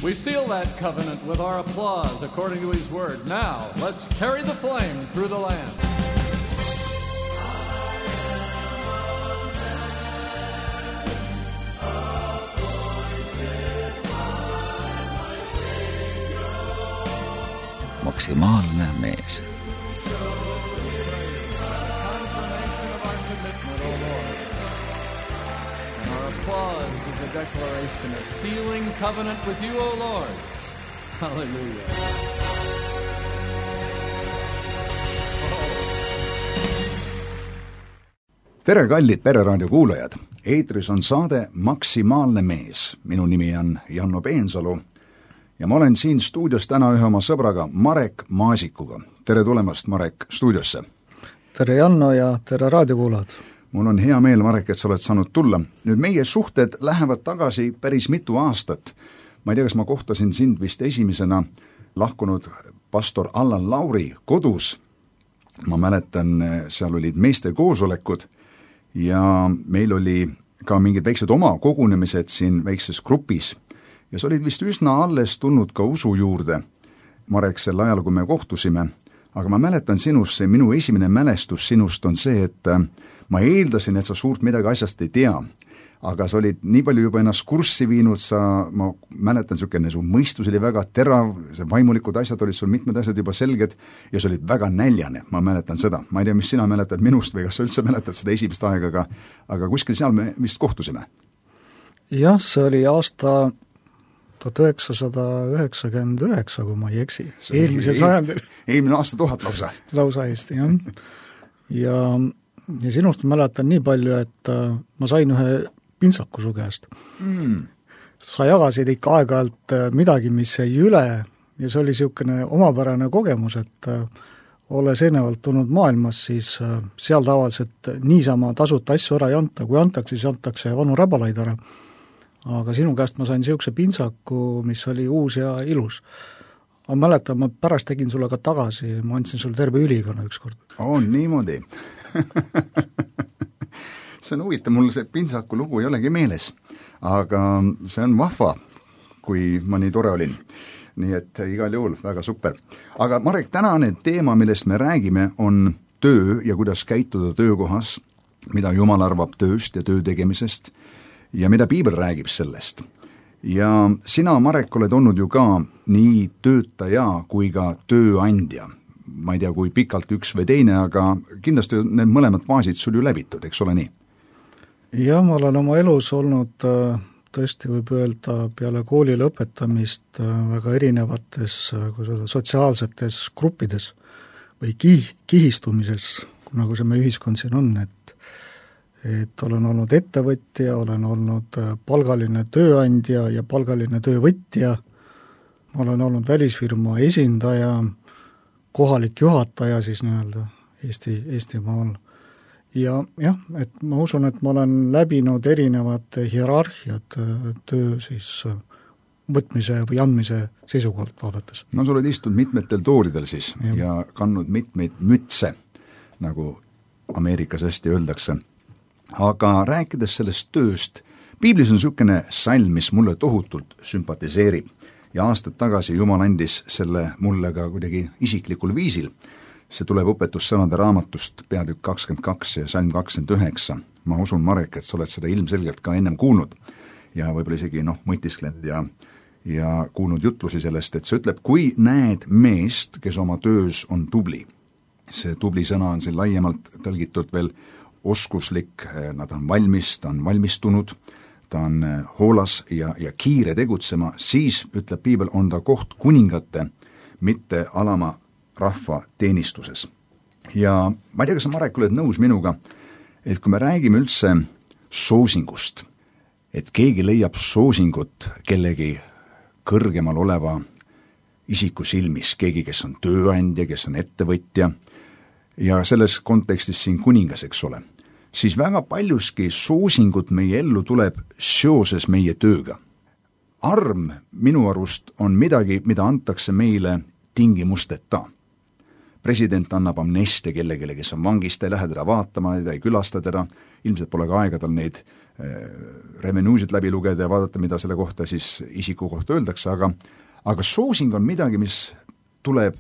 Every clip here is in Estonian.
We seal that covenant with our applause according to his word. Now, let's carry the flame through the land. Maksimaalne mees. Applause is a declaration of sealing covenant with you, O Lord. Hallelujah. Tere, kallid Pereraadio kuulajad! Eetris on saade Maksimaalne mees. Minu nimi on Janno Peensalu ja ma olen siin stuudios täna ühe oma sõbraga Marek Maasikuga. Tere tulemast, Marek, stuudiosse! Tere, Janno, ja tere raadiokuulajad! Mul on hea meel, Marek, et sa oled saanud tulla. Nüüd meie suhted lähevad tagasi päris mitu aastat. Ma ei tea, kas ma kohtasin sind vist esimesena lahkunud pastor Allan Lauri kodus. Ma mäletan, seal olid meeste koosolekud ja meil oli ka mingid väiksed oma kogunemised siin väikses grupis. Ja sa olid vist üsna alles tulnud ka usu juurde, Marek, sel ajal, kui me kohtusime. Aga ma mäletan sinust, see minu esimene mälestus sinust on see, et ma eeldasin, et sa suurt midagi asjast ei tea, aga sa olid nii palju juba ennast kurssi viinud, ma mäletan, su mõistus oli väga terav, see vaimulikud asjad olid sul mitmed asjad juba selged ja sa olid väga näljane, ma mäletan seda. Ma ei tea, mis sina mäletad minust või kas sa üldse mäletad seda esimest aega, aga kuskil seal me vist kohtusime. Jah, see oli aasta 1999, kui ma ei eksi. Eelmisel sajandil. Eelmine aasta 1000 lausa. Lausa Eesti, jah. Ja sinust mäletan nii palju, et ma sain ühe pintsaku su käest. Sa jagasid ikka aeg-ajalt midagi, mis jäi üle ja see oli niisugune omapärane kogemus, et olles ennevalt tulnud maailmas, siis seal tavaliselt niisama tasuta asju ära ei anta, kui antakse, siis antakse vanu räbalaid ära. Aga sinu käest ma sain niisuguse pintsaku, mis oli uus ja ilus. Ma mäletan, ma pärast tegin sulle ka tagasi, ma andsin sulle terve ülikonna ükskord. Niimoodi. See on huvitav, mul see pintsaku lugu ei olegi meeles, aga see on vahva, kui ma nii tore olin. Nii et igal juhul väga super. Aga Marek, tänane teema, millest me räägime, on töö ja kuidas käituda töökohas, mida Jumal arvab tööst ja töö tegemisest ja mida Piibel räägib sellest. Ja sina, Marek, oled olnud ju ka nii töötaja kui ka tööandja. Ma ei tea, kui pikalt üks või teine, aga kindlasti need mõlemad faasid sul ju läbitud, eks ole nii? Jah, ma olen oma elus olnud tõesti võib öelda peale kooli lõpetamist väga erinevates sotsiaalsetes gruppides või kihistumises, nagu see meie ühiskond siin on, et olen olnud ettevõtja, olen olnud palgaline tööandja ja palgaline töövõtja, ma olen olnud välisfirma esindaja, kohalik juhataja siis nii-öelda Eestimaal. Ja jah, et ma usun, et ma olen läbinud erinevad hierarhiad töö siis võtmise või andmise seisukohalt vaadates. No sa oled istunud mitmetel tooridel siis ja kandnud mitmeid mütse, nagu Ameerikas hästi öeldakse. Aga rääkides sellest tööst, Piiblis on niisugune salm, mis mulle tohutult sümpatiseerib. Ja aastad tagasi Jumal andis selle mulle ka kuidagi isiklikul viisil. See tuleb õpetussõnade raamatust peatükk 22 ja salm 29. Ma usun, Marek, et sa oled seda ilmselgelt ka ennem kuulnud ja võib-olla isegi mõtisklenud ja kuulnud jutlusi sellest, et see ütleb, kui näed meest, kes oma töös on tubli. See tubli sõna on siin laiemalt tõlgitud veel oskuslik, nad on valmis, ta on valmistunud, ta on hoolas ja kiire tegutsema, siis, ütleb Piibel, on ta koht kuningate, mitte alama rahva teenistuses. Ja ma ei tea, kas sa, Marek, oled nõus minuga, et kui me räägime üldse soosingust, et keegi leiab soosingut kellegi kõrgemal oleva isiku silmis, keegi, kes on tööandja, kes on ettevõtja, ja selles kontekstis siin kuningas, eks ole, siis väga paljuski soosingut meie ellu tuleb seoses meie tööga. Arm minu arust on midagi, mida antakse meile tingimusteta. president annab amnestia kellelegi, kes on vangis, ta ei lähe teda vaatama, ta ei külasta teda, ilmselt pole ka aega tal neid revenuesid läbi lugeda ja vaadata, mida selle kohta siis isiku kohta öeldakse, aga soosing on midagi, mis tuleb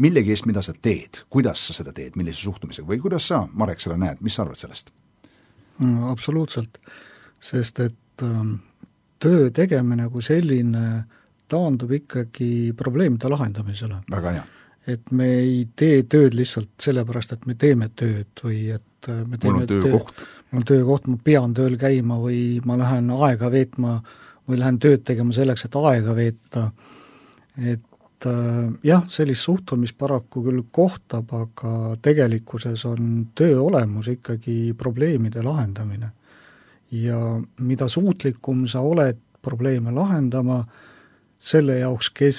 millegi eest, mida sa teed, kuidas sa seda teed, millise suhtumisega või kuidas sa, Marek, seda näed, mis sa arvad sellest? Absoluutselt, sest et töö tegemine kui selline taandub ikkagi probleemide lahendamisele. Väga hea. Et me ei tee tööd lihtsalt sellepärast, et me teeme tööd või et me teeme mul on töökoht. Mul on töökoht, ma pean tööl käima või ma lähen aega veetma või lähen tööd tegema selleks, et aega veeta. Et jah, sellist suhtumist paraku küll kohtab, aga tegelikkuses on töö olemus ikkagi probleemide lahendamine. Ja mida suutlikum sa oled probleeme lahendama, selle jaoks, kes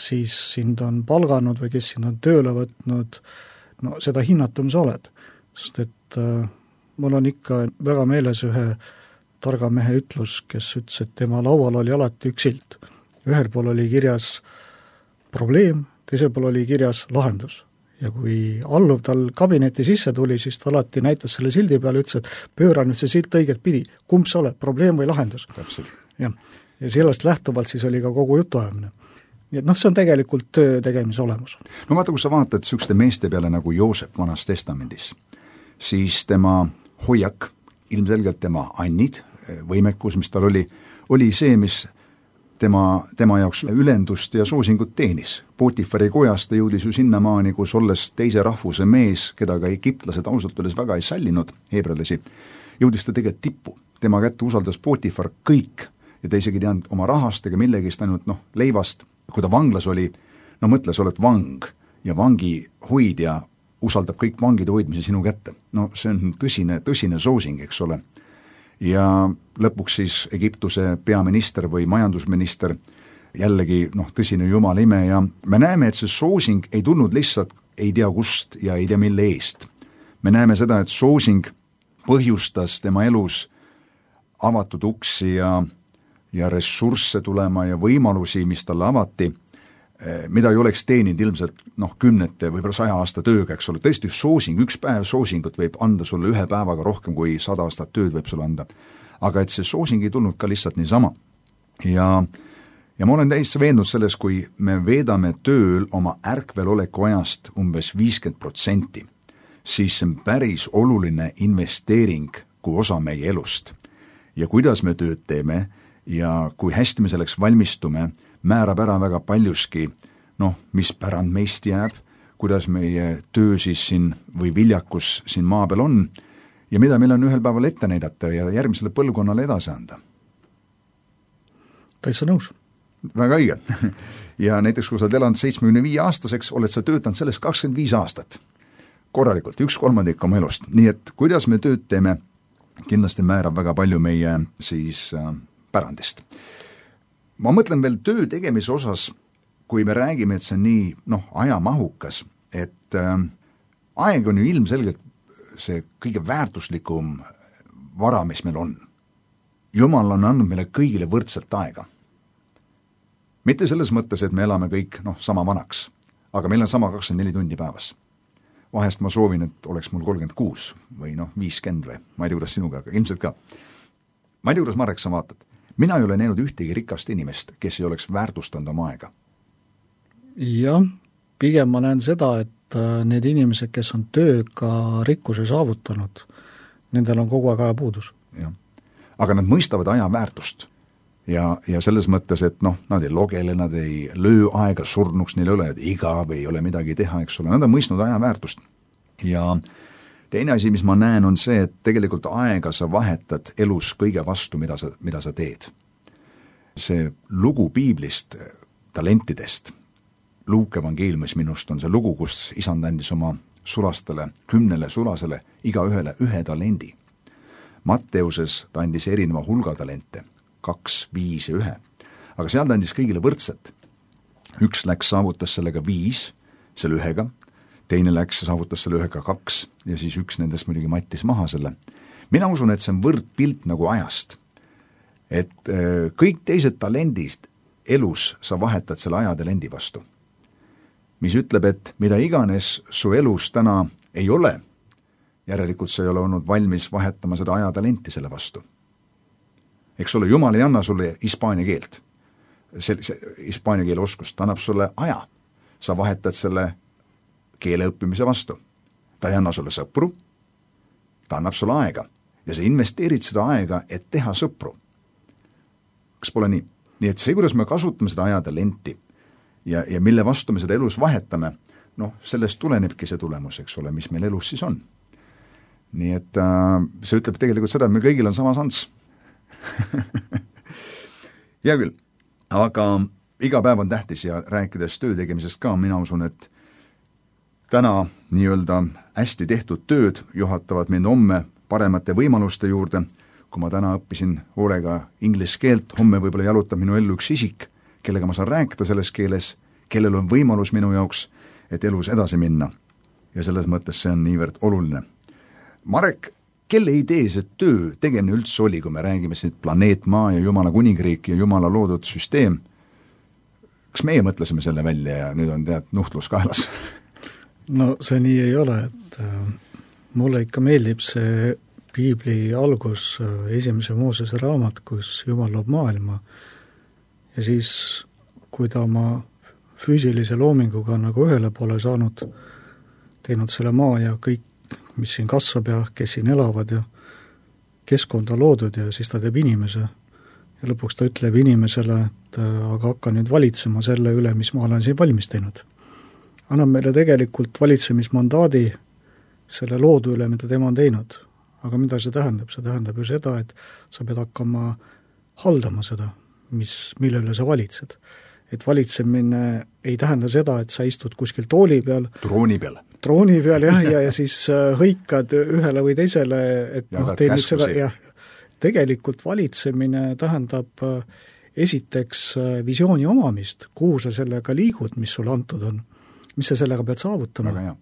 siis sind on palganud või kes sind on tööle võtnud, no seda hinnatum sa oled. Sest et mul on ikka väga meeles ühe targa mehe ütlus, kes ütles, et tema laual oli alati üks silt. Ühel pool oli kirjas probleem, teisel pool oli kirjas lahendus. Ja kui alluv tal kabineti sisse tuli, siis ta alati näitas selle sildi peale, ütles, et pööra nüüd see silt õiget pidi, kumb sa oled, probleem või lahendus. Täpselt. Ja sellest lähtuvalt siis oli ka kogu jutuajamine. Nii et see on tegelikult töö tegemise olemus. No vaata, kui sa vaatad sükste meeste peale nagu Joosep Vanas testamendis, siis tema hoiak, ilmselgelt tema annid, võimekus, mis tal oli see, mis tema jaoks ülendust ja soosingut teenis. Potifari kojast ta jõudis ju sinnamaani, kus olles teise rahvuse mees, keda ka egiptlased ausalt öeldes väga ei sallinud, heebrealasi, jõudis ta tegelikult tippu. Tema kätte usaldas Potifar kõik ja ta isegi teadnud oma rahast ega millegist ainult leivast. Kui ta vanglas oli, mõtle, sa oled vang ja vangi hoidja usaldab kõik vangide hoidmise sinu kätte. See on tõsine soosing, eks ole. Ja lõpuks siis Egiptuse peaminister või majandusminister, jällegi tõsine jumala ime ja me näeme, et see soosing ei tulnud lihtsalt ei tea kust ja ei tea mille eest. Me näeme seda, et soosing põhjustas tema elus avatud uksi ja ressursse tulema ja võimalusi, mis talle avati, mida ei oleks teeninud ilmselt 10 või 100 aasta tööga, eks ole. Tõesti soosing, üks päev soosingut võib anda sulle 1 päevaga rohkem kui 100 aastat tööd võib sulle anda. Aga et see soosing ei tulnud ka lihtsalt niisama. Ja ma olen täiesti veendunud selles, kui me veedame tööl oma ärkveloleku ajast umbes 50%, siis see on päris oluline investeering kui osa meie elust. Ja kuidas me tööd teeme ja kui hästi me selleks valmistume, määrab ära väga paljuski, mis pärand meist jääb, kuidas meie töö siis siin või viljakus siin maa peal on ja mida meil on ühel päeval ette näidata ja järgmisele põlvkonnale edasi anda. Täitsa nõus. Väga õige. Ja näiteks, kui sa oled elanud 75-aastaseks, oled sa töötanud sellest 25 aastat. Korralikult, 1/3 oma elust. Nii et kuidas me tööd teeme, kindlasti määrab väga palju meie siis pärandist. Ma mõtlen veel töö tegemise osas, kui me räägime, et see on nii ajamahukas, et aeg on ju ilmselgelt see kõige väärtuslikum vara, mis meil on. Jumal on andnud meile kõigile võrdselt aega. Mitte selles mõttes, et me elame kõik sama vanaks, aga meil on sama 24 tundi päevas. Vahest ma soovin, et oleks mul 36 või 50 või ma ei tea, kuidas sinuga, aga ilmselt ka. Ma ei tea, kuidas Marek sa vaatad. Mina ei ole näinud ühtegi rikast inimest, kes ei oleks väärtustanud oma aega. Jah, pigem ma näen seda, et need inimesed, kes on tööga rikkuse saavutanud, nendel on kogu aeg ajapuudus. Ja. Aga nad mõistavad aja väärtust ja selles mõttes, et nad ei logele, nad ei löö aega surnuks, neil ei ole igav, ei ole midagi teha, eks ole, nad on mõistnud aja väärtust. Ja teine asi, mis ma näen, on see, et tegelikult aega sa vahetad elus kõige vastu, mida sa teed. See lugu piiblist, talentidest, Luuke evangeeliumis minust on see lugu, kus isand andis oma sulastele, 10 sulasele, igaühele 1 talendi. Matteuses ta andis erineva hulga talente, 2, 5 ja 1. Aga seal ta andis kõigile võrdset. Üks läks, saavutas sellega 5, selle 1, teine läks ja saavutas selle 1 2 ja siis üks nendest muidugi mattis maha selle. Mina usun, et see on võrdpilt nagu ajast. Et kõik teised talendist elus sa vahetad selle aja talendi vastu. mis ütleb, et mida iganes su elus täna ei ole, järelikult sa ei ole olnud valmis vahetama seda ajatalenti selle vastu. Eks ole, Jumal ei anna sulle hispaania keelt, see hispaania keele oskust, ta annab sulle aja. Sa vahetad selle keele õppimise vastu. Ta ei anna sulle sõpru, ta annab sulle aega ja sa investeerid seda aega, et teha sõpru. Kas pole nii? Nii et see, kuidas me kasutame seda ajatalenti ja mille vastu me seda elus vahetame, sellest tulenebki see tulemus, eks ole, mis meil elus siis on. Nii et see ütleb tegelikult seda, et meil kõigil on sama šans. Hea küll, aga iga päev on tähtis ja rääkides töö tegemisest ka, mina usun, et täna nii-öelda hästi tehtud tööd juhatavad mind homme paremate võimaluste juurde. Kui ma täna õppisin hoolega inglise keelt, homme võib-olla jalutab minu ellu üks isik, kellega ma saan rääkida selles keeles, kellel on võimalus minu jaoks, et elus edasi minna. Ja selles mõttes see on niivõrd oluline. Marek, kelle idee see töö tegemine üldse oli, kui me räägime siin planeet Maa ja Jumala kuningriik ja Jumala loodud süsteem? Kas meie mõtlesime selle välja ja nüüd on nuhtlus kaelas? No see nii ei ole, et mulle ikka meeldib see piibli algus, esimese Moosese raamat, kus Jumal loob maailma ja siis, kui ta oma füüsilise loominguga nagu ühele poole saanud, teinud selle maa ja kõik, mis siin kasvab ja kes siin elavad ja keskkonda loodud ja siis ta teeb inimese ja lõpuks ta ütleb inimesele, et aga hakka nüüd valitsema selle üle, mis ma olen siin valmis teinud. Annab meile tegelikult valitsemismandaadi selle loodu üle, mida tema on teinud. Aga mida see tähendab? See tähendab ju seda, et sa pead hakkama haldama seda, mille üle sa valitsed. Et valitsemine ei tähenda seda, et sa istud kuskil tooli peal. Trooni peal, jah, ja siis hõikad ühele või teisele, et tee nüüd seda, jah. Tegelikult valitsemine tähendab esiteks visiooni omamist, kuhu sa sellega liigud, mis sulle antud on, mis sa sellega pead saavutama.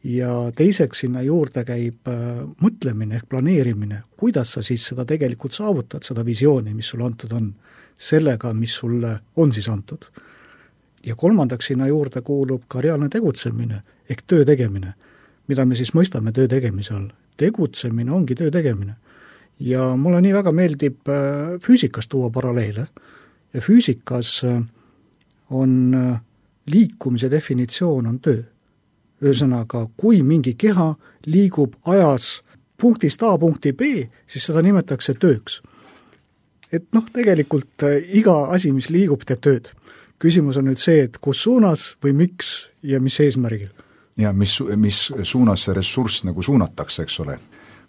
Ja teiseks sinna juurde käib mõtlemine ehk planeerimine, kuidas sa siis seda tegelikult saavutad, seda visiooni, mis sulle antud on, sellega, mis sulle on siis antud. Ja kolmandaks sinna juurde kuulub ka reaalne tegutsemine ehk töö tegemine, mida me siis mõistame töö tegemise all. Tegutsemine ongi töö tegemine. Ja mulle nii väga meeldib füüsikas tuua paralleele ja füüsikas on liikumise definitsioon on töö. Ühesõnaga, kui mingi keha liigub ajas punktist A punkti B, siis seda nimetatakse tööks. Et tegelikult iga asi, mis liigub, teeb tööd. Küsimus on nüüd see, et kus suunas või miks ja mis eesmärgil. Ja mis suunas see ressurss nagu suunatakse, eks ole.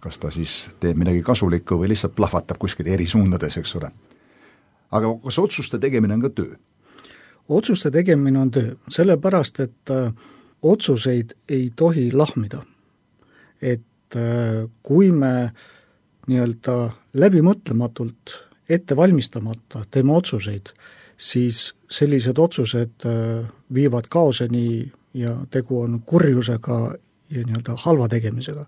Kas ta siis teeb midagi kasulikku või lihtsalt plahvatab kuskil eri suundades, eks ole. Aga kas otsuste tegemine on ka töö? Otsuste tegemine on töö, sellepärast, et otsuseid ei tohi lahmida. Et kui me nii-öelda läbimõtlematult ette valmistamata teeme otsuseid, siis sellised otsused viivad kaoseni ja tegu on kurjusega ja nii-öelda halva tegemisega.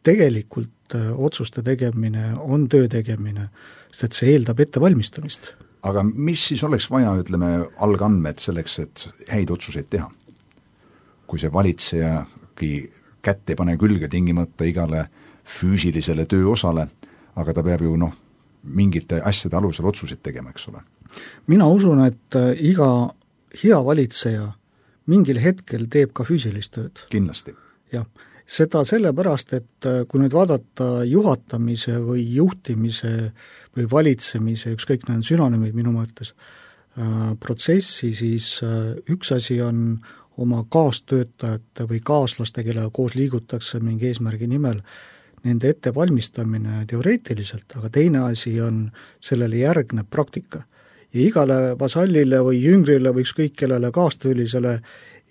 Tegelikult otsuste tegemine on töö tegemine, sest et see eeldab ette valmistamist. Aga mis siis oleks vaja, ütleme, algandmed selleks, et häid otsuseid teha? Kui see valitsejagi kätt ei pane külge tingimata igale füüsilisele tööosale, aga ta peab ju mingite asjade alusel otsuseid tegema, eks ole. Mina usun, et iga hea valitseja mingil hetkel teeb ka füüsilist tööd. Kindlasti. Jah, seda sellepärast, et kui nüüd vaadata juhatamise või juhtimise või valitsemise, ükskõik need sünonümid minu mõttes, protsessi, siis üks asi on oma kaastöötajate või kaaslaste, kellega koos liigutakse mingi eesmärgi nimel, nende ettevalmistamine teoreetiliselt, aga teine asi on sellele järgneb praktika. Ja igale vasallile või jüngrile või ükskõik kellele kaastöölisele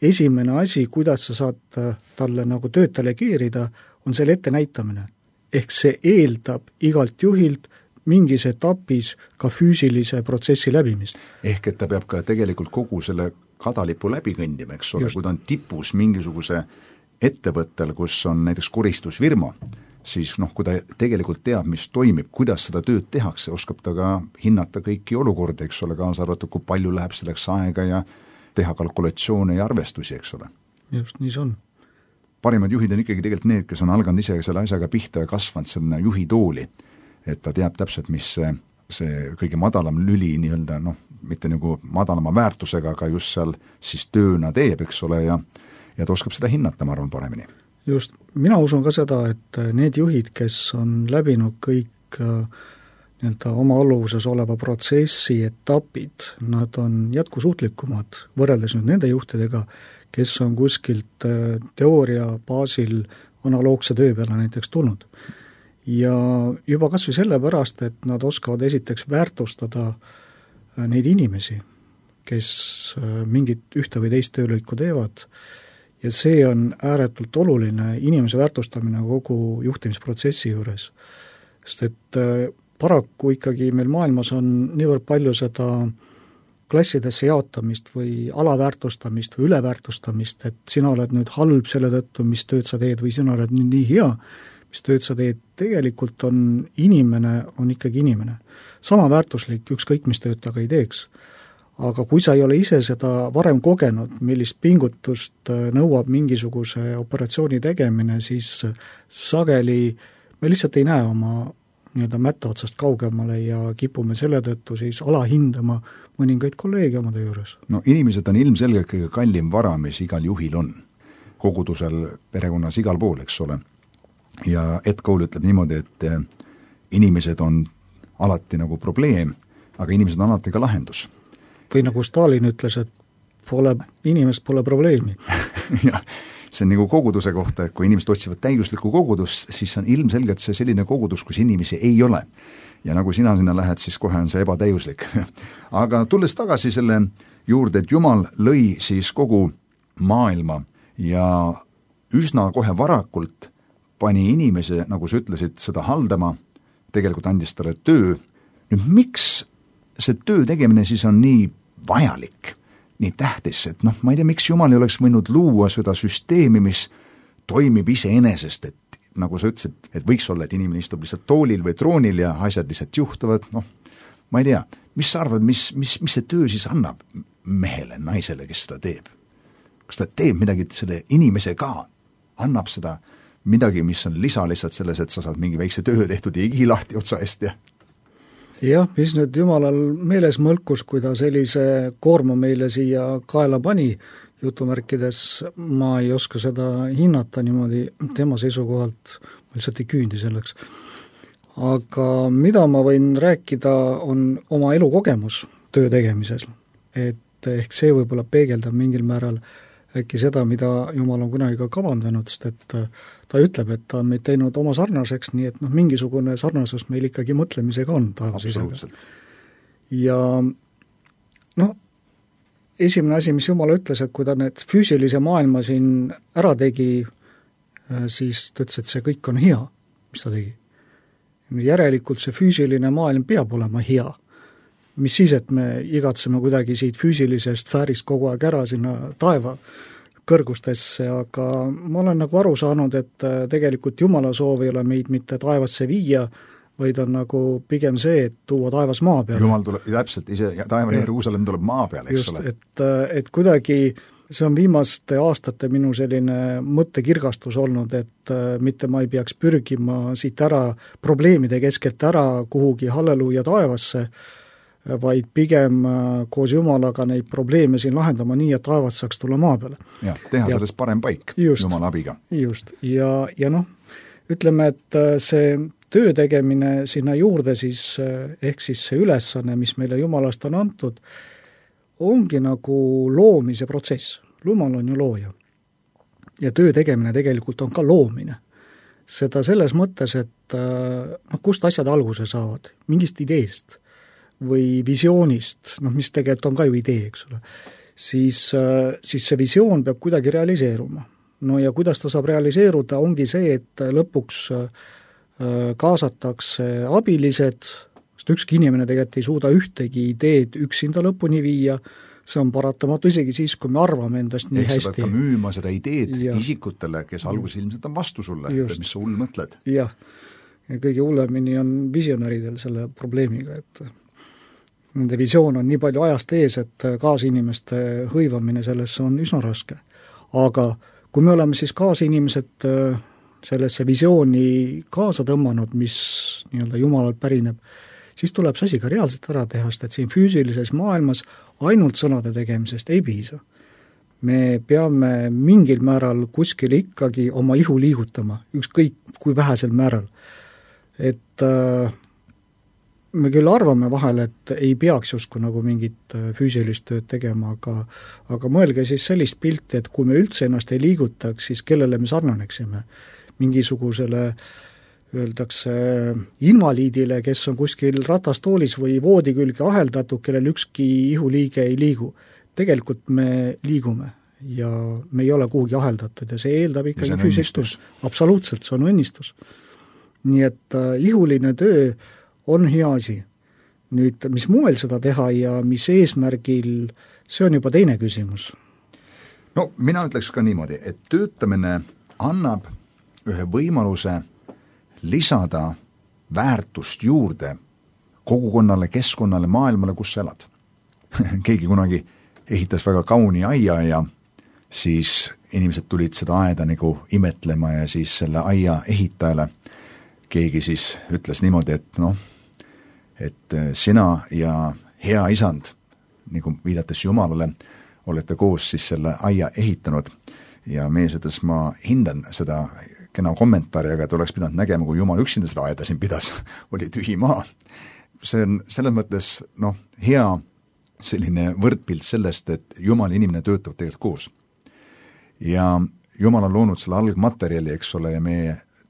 esimene asi, kuidas sa saad talle nagu tööd delegeerida, on selle ette näitamine. Ehk see eeldab igalt juhilt mingis etapis ka füüsilise protsessi läbimist. Ehk et ta peab ka tegelikult kogu selle kadalipu läbi kõndima, eks ole, kui ta on tipus mingisuguse ettevõttel, kus on näiteks koristusfirma, siis kui ta tegelikult teab, mis toimib, kuidas seda tööd tehakse, oskab ta ka hinnata kõiki olukorda, eks ole, kaasa arvatud, kui palju läheb selleks aega teha kalkulatsioone ja arvestusi, eks ole. Just, nii see on. Parimad juhid on ikkagi tegelikult need, kes on alganud ise selle asjaga pihta ja kasvanud selle juhi tooli, et ta teab täpselt, mis see kõige madalam lüli nii-öelda, mitte nagu madalama väärtusega, aga just seal siis tööna teeb, eks ole, ja ta oskab seda hinnata, ma arvan, paremini. Just, mina usun ka seda, et need juhid, kes on läbinud kõik nii-öelda oma alluvuses oleva protsessi etapid, nad on jätkusuutlikumad võrreldes nüüd nende juhtidega, kes on kuskilt teooria baasil analoogse töö peale näiteks tulnud. Ja juba kas või sellepärast, et nad oskavad esiteks väärtustada neid inimesi, kes mingit ühte või teist töölõiku teevad, ja see on ääretult oluline inimese väärtustamine kogu juhtimisprotsessi juures. Sest et paraku ikkagi meil maailmas on niivõrd palju seda klassidesse jaotamist või alaväärtustamist või üleväärtustamist, et sina oled nüüd halb selle tõttu, mis tööd sa teed, või sina oled nüüd nii hea, mis tööd sa teed. Tegelikult on inimene, on ikkagi inimene. Sama väärtuslik, ükskõik mis tööd ta ka ei teeks. Aga kui sa ei ole ise seda varem kogenud, millist pingutust nõuab mingisuguse operatsiooni tegemine, siis sageli me lihtsalt ei näe oma nii-öelda mätta otsast kaugemale ja kipume selle tõttu siis alahindama mõningaid kolleege oma töö juures. No inimesed on ilmselgelt kõige kallim vara, mis igal juhil on. Kogudusel, perekonnas, igal pool, eks ole. Ja Ed Cole ütleb niimoodi, et inimesed on alati nagu probleem, aga inimesed on alati ka lahendus. Või nagu Stalin ütles, et inimest pole probleemi. Jah, see on nagu koguduse kohta, et kui inimesed otsivad täiuslikku kogudust, siis on ilmselgelt see selline kogudus, kus inimesi ei ole. Ja nagu sina sinna lähed, siis kohe on see ebatäiuslik. Aga tulles tagasi selle juurde, et Jumal lõi siis kogu maailma ja üsna kohe varakult pani inimese, nagu sa ütlesid, seda haldama, tegelikult andis talle töö. Nüüd miks see töö tegemine siis on nii vajalik, nii tähtis, et ma ei tea, miks Jumal ei oleks võinud luua seda süsteemi, mis toimib iseenesest, et nagu sa ütlesid, et võiks olla, et inimene istub lihtsalt toolil või troonil ja asjad lihtsalt juhtuvad, ma ei tea, mis sa arvad, mis see töö siis annab mehele, naisele, kes seda teeb? Kas ta teeb midagi selle inimese ka, annab seda midagi, mis on lisa lihtsalt selles, et sa saad mingi väikse töö tehtud ja igi lahti otsa eest ja jah, mis nüüd Jumalal meeles mõlkus, kui ta sellise koorma meile siia kaela pani, jutumärkides, ma ei oska seda hinnata niimoodi tema seisukohalt, ma lihtsalt ei küündi selleks. Aga mida ma võin rääkida, on oma elukogemus töö tegemises, et ehk see võib-olla peegeldab mingil määral äkki seda, mida Jumal on kunagi ka kavandanud, sest et ta ütleb, et ta on meid teinud oma sarnaseks, nii et mingisugune sarnasus meil ikkagi mõtlemisega on taevasisega. Ja esimene asi, mis Jumal ütles, et kui ta need füüsilise maailma siin ära tegi, siis ta ütles, et see kõik on hea, mis ta tegi. Järelikult see füüsiline maailm peab olema hea. Mis siis, et me igatseme kuidagi siit füüsilisest sfäärist kogu aeg ära sinna taeva kõrgustesse, aga ma olen nagu aru saanud, et tegelikult Jumala soov ei ole meid mitte taevasse viia, vaid on nagu pigem see, et tuua taevas maa peale. Jumal tuleb täpselt ise, taevane Jeruusalemm tuleb maa peale, eks ole. Et kuidagi see on viimaste aastate minu selline mõttekirgastus olnud, et mitte ma ei peaks pürgima siit ära probleemide keskelt ära kuhugi halleluuja taevasse, vaid pigem koos Jumalaga neid probleeme siin lahendama nii, et taevas saaks tulla maa peale. Ja, teha sellest parem paik just, Jumala abiga. Just, ja ütleme, et see töö tegemine sinna juurde siis, ehk siis see ülesanne, mis meile Jumalast on antud, ongi nagu loomise protsess. Jumal on ju looja. Ja töö tegemine tegelikult on ka loomine. Seda selles mõttes, et kust asjad alguse saavad, mingist ideest või visioonist, mis tegelikult on ka ju idee, eks ole, siis see visioon peab kuidagi realiseeruma. No ja kuidas ta saab realiseeruda, ongi see, et lõpuks kaasatakse abilised, sest ükski inimene tegelikult ei suuda ühtegi ideed üksinda lõpuni viia, see on paratamatu isegi siis, kui me arvame endast nii hästi. Sa pead ka müüma seda ideed isikutele, kes alguses ilmselt on vastu sulle, mis sa hull mõtled. Jah, ja kõige hullemini on visionäridel selle probleemiga, et nende visioon on nii palju ajast ees, et kaasinimeste hõivamine sellesse on üsna raske. Aga kui me oleme siis kaasinimesed sellesse visiooni kaasa tõmmanud, mis nii-öelda Jumalalt pärineb, siis tuleb see asi ka reaalselt ära teha, sest et siin füüsilises maailmas ainult sõnade tegemisest ei piisa. Me peame mingil määral kuskil ikkagi oma ihu liigutama, ükskõik kui vähesel määral. Et me küll arvame vahel, et ei peaks justkui nagu mingit füüsilist tööd tegema, aga mõelge siis sellist pilti, et kui me üldse ennast ei liigutaks, siis kellele me sarnaneksime? Mingisugusele, öeldakse, invaliidile, kes on kuskil ratastoolis või voodi külge aheldatud, kellel ükski ihuliige ei liigu. Tegelikult me liigume ja me ei ole kuhugi aheldatud ja see eeldab ikkagi füüsistus. Absoluutselt, see on õnnistus. Nii et ihuline töö on hea asi. Nüüd, mis moel seda teha ja mis eesmärgil, see on juba teine küsimus. No mina ütleks ka niimoodi, et töötamine annab ühe võimaluse lisada väärtust juurde kogukonnale, keskkonnale, maailmale, kus sa elad. Keegi kunagi ehitas väga kauni aia ja siis inimesed tulid seda aeda nagu imetlema ja siis selle aia ehitajale keegi siis ütles niimoodi, et sina ja hea isand, nagu viidates Jumalale, olete koos siis selle aia ehitanud ja mees ütles, ma hindan seda kena kommentaari, aga et oleks pidanud nägema, kui Jumal üksinda seda aeda siin pidas, oli tühi maa. See on selles mõttes hea selline võrdpilt sellest, et Jumal ja inimene töötavad tegelikult koos. Ja Jumal on loonud selle algmaterjali, eks ole, ja me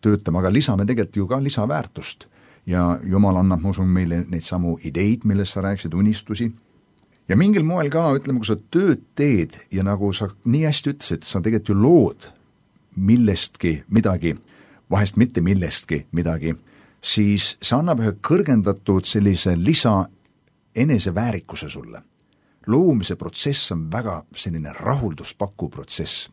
töötame, aga lisame tegelikult ju ka lisaväärtust. Ja Jumal annab, ma usun, meile neid samu ideid, millest sa rääkisid, unistusi. Ja mingil moel ka, ütleme, kui sa tööd teed ja nagu sa nii hästi ütlesid, sa tegelikult ju lood millestki midagi, vahest mitte millestki midagi, siis see annab ühe kõrgendatud sellise lisa eneseväärikuse sulle. Loomise protsess on väga selline rahulduspakkuv protsess.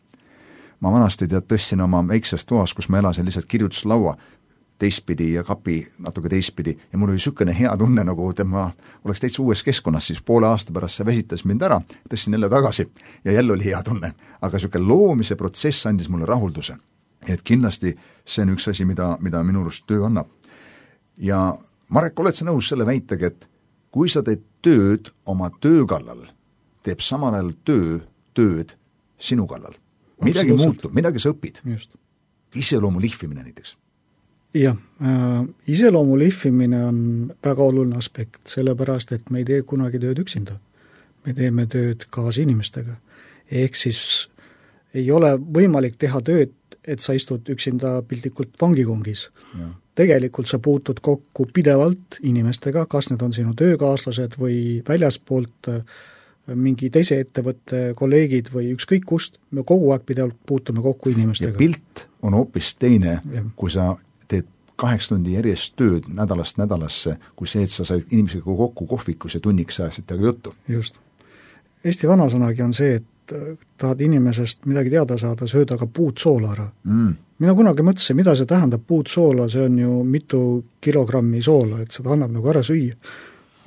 Ma vanasti tõstsin oma väikses toas, kus ma elasin lihtsalt kirjutuslaua teistpidi ja kapi natuke teistpidi ja mul oli sükene hea tunne, nagu tema oleks täitsa uues keskkonnas, siis poole aasta pärast see väsitas mind ära, tõstsin jälle tagasi ja jälle oli hea tunne. Aga sükene loomise protsess andis mulle rahulduse. Et kindlasti see on üks asi, mida minu arust töö annab. Ja Marek, oled sa nõus selle väitega, et kui sa teed tööd oma töö kallal, teeb samal ajal tööd sinu kallal. Midagi muutub, midagi sa õpid. Just. Iseloomu lihvimine näiteks. Jah, iseloomu lihvimine on väga oluline aspekt, sellepärast, et me ei tee kunagi tööd üksinda. Me teeme tööd kaasinimestega. Ehk siis ei ole võimalik teha tööd, et sa istud üksinda piltlikult vangikongis. Ja. Tegelikult sa puutud kokku pidevalt inimestega, kas need on sinu töökaaslased või väljaspoolt mingi teise ettevõtte kolleegid või ükskõik kust, me kogu aeg pidevalt puutume kokku inimestega. Ja pilt on hoopis teine, kui sa teed 8 tundi järjest tööd nädalast nädalasse, kui see, et sa said inimesega kokku kohvikus ja tunniks ajasid temaga juttu. Just. Eesti vanasõnagi on see, et tahad inimesest midagi teada saada, sööda ka puud soola ära. Mina kunagi mõtlesin, mida see tähendab puud soola, see on ju mitu kilogrammi soola, et seda annab nagu ära süüa.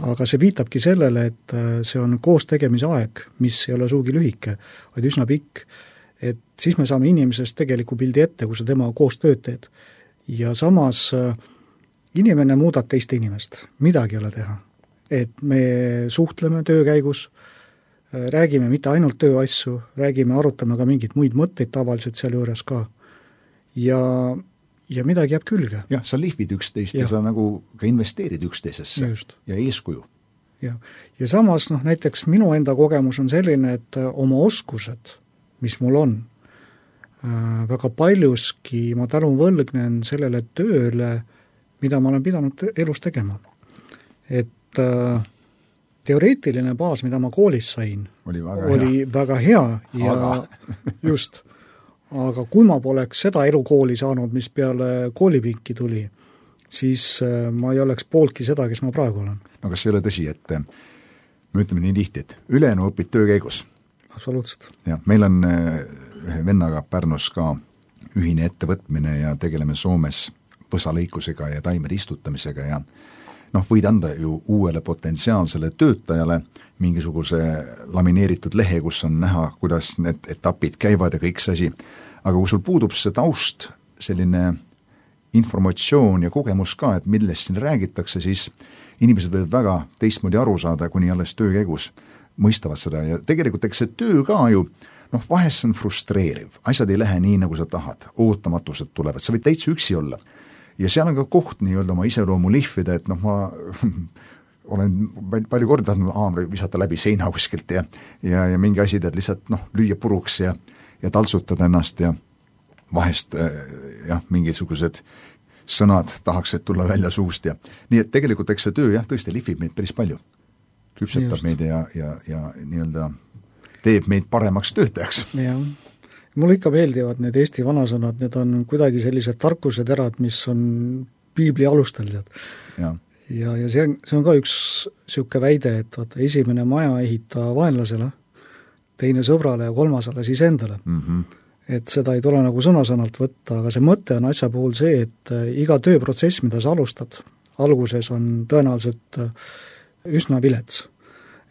Aga see viitabki sellele, et see on koos tegemise aeg, mis ei ole suugi lühike, vaid üsna pikk. Et siis me saame inimesest tegeliku pildi ette, kui sa tema koos tööd teed. Ja samas inimene muudab teist inimest, midagi ei ole teha. Et me suhtleme töö käigus, räägime mitte ainult tööasju, räägime, arutame ka mingid muid mõtteid tavaliselt seal juures ka. Ja midagi jääb külge. Jah, sa lihvid üksteist ja sa nagu ka investeerid üksteisesse. Just. Ja eeskuju. Ja samas näiteks minu enda kogemus on selline, et oma oskused, mis mul on, väga paljuski ma tänun võlgnen sellele tööle, mida ma olen pidanud elus tegema. Et teoreetiline baas, mida ma koolis sain, oli väga hea ja just. Aga kui ma poleks seda elukooli saanud, mis peale koolipinki tuli, siis ma ei oleks pooltki seda, kes ma praegu olen. No kas ei ole tõsi, et me ütleme nii tihti, et ülejäänu õpid töö käigus? Absoluutselt. Ja, meil on ühe vennaga Pärnus ka ühine ettevõtmine ja tegeleme Soomes põsalõikusega ja taimede istutamisega ja noh, võid anda ju uuele potentsiaalsele töötajale mingisuguse lamineeritud lehe, kus on näha, kuidas need etapid käivad ja kõik see asi, aga kui sul puudub see taust, selline informatsioon ja kogemus ka, et millest siin räägitakse, siis inimesed võivad väga teistmoodi aru saada, kuni alles töö käigus mõistavad seda ja tegelikult eks see töö ka ju, noh, vahest see on frustreeriv, asjad ei lähe nii, nagu sa tahad, ootamatused tulevad, sa võid täitsa üksi olla. Ja seal on ka koht nii-öelda oma iseloomu lihvida, et noh, ma olen palju korda tahtnud haamri visata läbi seina kuskilt ja mingi asi tead lihtsalt noh, lüüa puruks ja taltsutada ennast ja vahest jah, mingisugused sõnad tahaks, et tulla välja suust ja nii, et tegelikult eks see töö jah, tõesti lihvib meid päris palju. Küpsetab meid ja nii-öelda teeb meid paremaks töötajaks. Jah. Mulle ikka meeldivad need Eesti vanasõnad, need on kuidagi sellised tarkuseterad, mis on piibli alustel. Ja see on ka üks siuke väide, et vaata, esimene maja ehita vaenlasele, teine sõbrale ja kolmasele siis endale. Et seda ei tule nagu sõna-sõnalt võtta, aga see mõte on asja puhul see, et iga tööprotsess, mida sa alustad, alguses on tõenäoliselt üsna vilets.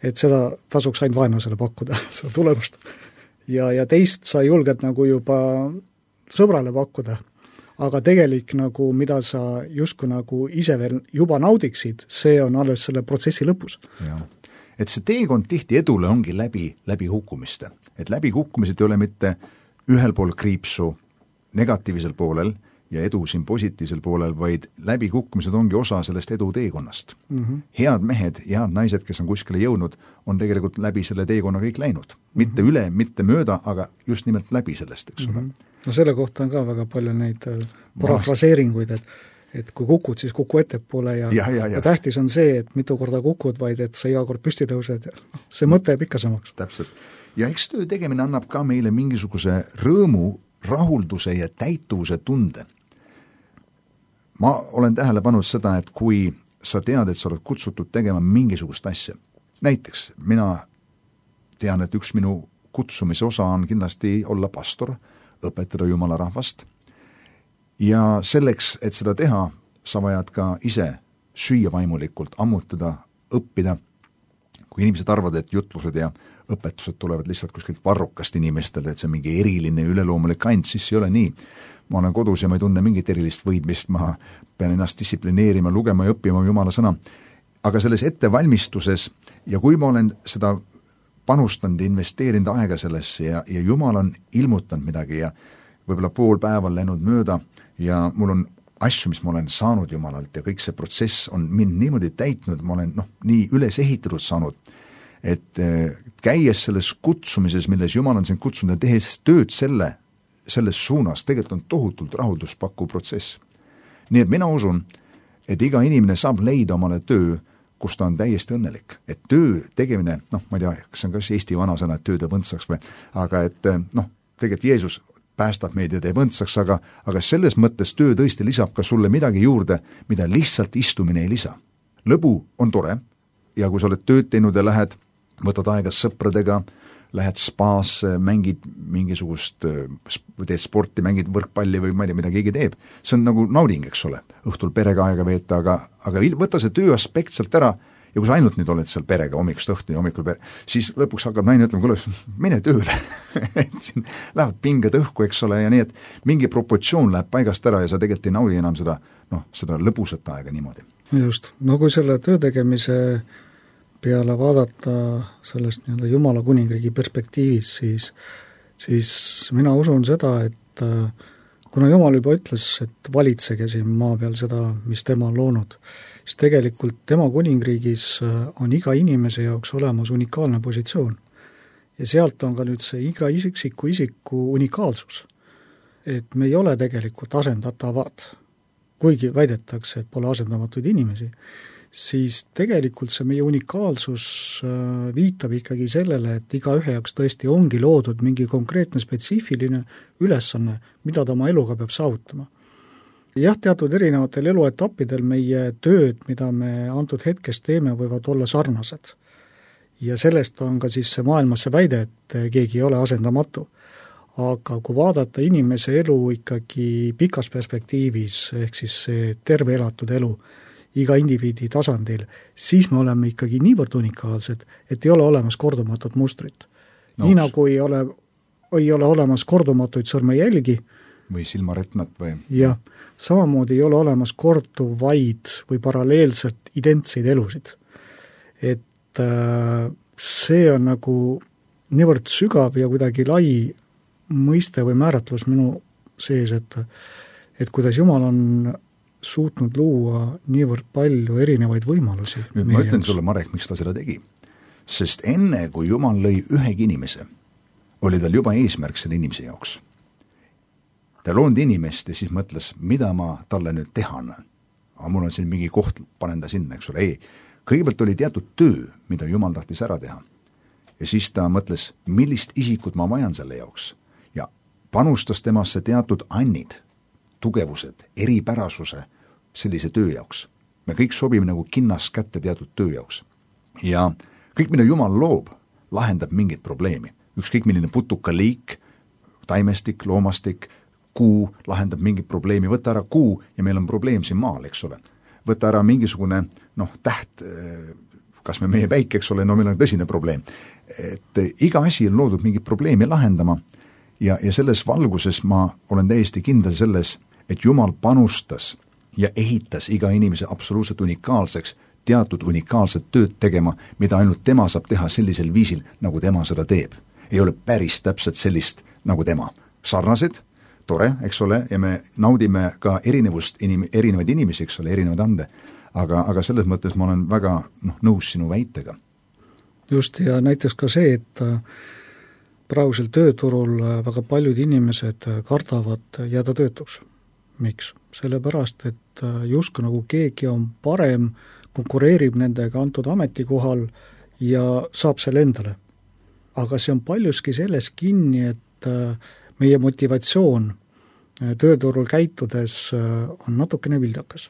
Et seda tasuks ainult vaenlasele pakkuda, seda tulemust. Ja teist sa julged nagu juba sõbrale pakkuda, aga tegelik nagu, mida sa justkui nagu ise veel juba naudiksid, see on alles selle protsessi lõpus. Ja. Et see teekond tihti edule ongi läbi hukkumiste. Et läbi hukkumised ei ole mitte ühel pool kriipsu negatiivsel poolel ja edu siin positiivsel poolel, vaid läbi kukkumised ongi osa sellest edu teekonnast. Head mehed, head naised, kes on kuskile jõudnud, on tegelikult läbi selle teekonna kõik läinud. Mitte üle, mitte mööda, aga just nimelt läbi sellest, eks ole. No selle kohta on ka väga palju neid parafraseeringuid, et kui kukud, siis kuku ettepoole ja tähtis on see, et mitu korda kukud, vaid et sa iga kord püsti tõused. See mõte jääb ikka samaks. Täpselt. Ja eks töö tegemine annab ka meile mingisuguse rõõmu, rahulduse ja täituvuse tunde. Ma olen tähele pannud seda, et kui sa tead, et sa oled kutsutud tegema mingisugust asja, näiteks mina tean, et üks minu kutsumise osa on kindlasti olla pastor, õpetada Jumala rahvast ja selleks, et seda teha, sa vajad ka ise süüa vaimulikult, ammutada, õppida. Kui inimesed arvavad, et jutlused ja õpetused tulevad lihtsalt kuskilt varrukast inimestele, et see on mingi eriline üleloomulik ant, siis ei ole nii. Ma olen kodus ja ma ei tunne mingit erilist võidmist, ma pean ennast distsiplineerima, lugema ja õppima Jumala sõna. Aga selles ettevalmistuses ja kui ma olen seda panustanud ja investeerinud aega sellesse ja Jumal on ilmutanud midagi ja võib-olla pool päeva on läinud mööda ja mul on asju, mis ma olen saanud Jumalalt ja kõik see protsess on mind niimoodi täitnud, ma olen nii üles ehitatud saanud, et käies selles kutsumises, milles Jumal on sind kutsunud ja tehes tööd selles suunas, tegelikult on tohutult rahulduspakkuv protsess. Nii et mina usun, et iga inimene saab leida omale töö, kus ta on täiesti õnnelik. Et töö tegemine, ma ei tea, kas on kas Eesti vanasõna, et töö teeb õndsaks või, aga et tegelikult Jeesus päästab meid ja teeb õndsaks, aga selles mõttes töö tõesti lisab ka sulle midagi juurde, mida lihtsalt istumine ei lisa. Lõbu on tore ja kui sa oled tööd teinud ja võtad aega sõpradega, lähed spaasse, mängid mingisugust, teed sporti, mängid võrkpalli või ma ei tea, mida keegi teeb. See on nagu nauding, eks ole, õhtul perega aega veeta, aga võta see töö aspekt sealt ära ja kui sa ainult nüüd oled seal perega hommikust õhtuni, siis lõpuks hakkab naine ütlema, kuule, mine tööle. Et siin lähevad pinged õhku, eks ole, ja nii, et mingi proportsioon läheb paigast ära ja sa tegelikult ei naudi enam seda lõbusat aega niimoodi. Just, kui selle töö tegemise peale vaadata sellest nii-öelda Jumala kuningriigi perspektiivis, siis mina usun seda, et kuna Jumal juba ütles, et valitsege siin maa peal seda, mis tema on loonud, siis tegelikult tema kuningriigis on iga inimese jaoks olemas unikaalne positsioon. Ja sealt on ka nüüd see iga isiku unikaalsus. Et me ei ole tegelikult asendatavad, kuigi väidetakse, et pole asendamatuid inimesi, siis tegelikult see meie unikaalsus viitab ikkagi sellele, et iga ühe jaoks tõesti ongi loodud mingi konkreetne spetsiifiline ülesanne, mida ta oma eluga peab saavutama. Jah, teatud erinevatel eluetappidel meie tööd, mida me antud hetkes teeme, võivad olla sarnased. Ja sellest on ka siis see maailmas see väide, et keegi ei ole asendamatu. Aga kui vaadata inimese elu ikkagi pikas perspektiivis, ehk siis see terve elatud elu, iga indiviidi tasandil, siis me oleme ikkagi niivõrd unikaalsed, et ei ole olemas kordumatut mustrit. Nii nagu ei ole olemas kordumatuid sõrmejälgi või silmaretnat või... Jah, samamoodi ei ole olemas korduvaid või paralleelselt identseid elusid. Et see on nagu niivõrd sügav ja kuidagi lai mõiste või määratlus minu sees, et kuidas Jumal on suutnud luua niivõrd palju erinevaid võimalusi. Nüüd ma ütlen sulle, Marek, miks ta seda tegi. Sest enne, kui Jumal lõi ühegi inimese, oli tal juba eesmärk selle inimese jaoks. Ta loonud inimest ja siis mõtles, mida ma talle nüüd teha annan. Aga mul on siin mingi koht, panen ta sinna, eks ole. Ei, kõigepealt oli teatud töö, mida Jumal tahtis ära teha. Ja siis ta mõtles, millist isikut ma vajan selle jaoks. Ja panustas temasse teatud annid, tugevused, eripärasuse sellise töö jaoks. Me kõik sobime nagu kinnas kätte teatud töö jaoks. Ja kõik, mida Jumal loob, lahendab mingit probleemi. Ükskõik milline putukaliik, taimestik, loomastik, kuu lahendab mingit probleemi. Võtta ära kuu ja meil on probleem siin maal, eks ole. Võtta ära mingisugune täht, kas me meie päike, eks ole, meil on tõsine probleem. Et iga asi on loodud mingit probleemi lahendama ja selles valguses ma olen täiesti kindel selles, et Jumal panustas ja ehitas iga inimese absoluutselt unikaalseks, teatud unikaalset tööd tegema, mida ainult tema saab teha sellisel viisil, nagu tema seda teeb. Ei ole päris täpselt sellist nagu tema. Sarnased, tore, eks ole, ja me naudime ka erinevaid inimesi, eks ole, erinevaid ande, aga selles mõttes ma olen väga nõus sinu väitega. Just, ja näiteks ka see, et praegusel tööturul väga paljud inimesed kardavad jääda töötuks. Miks? Sellepärast, et justkui nagu keegi on parem, konkureerib nendega antud ametikohal ja saab selle endale. Aga see on paljuski selles kinni, et meie motivatsioon tööturul käitudes on natukene vildakas.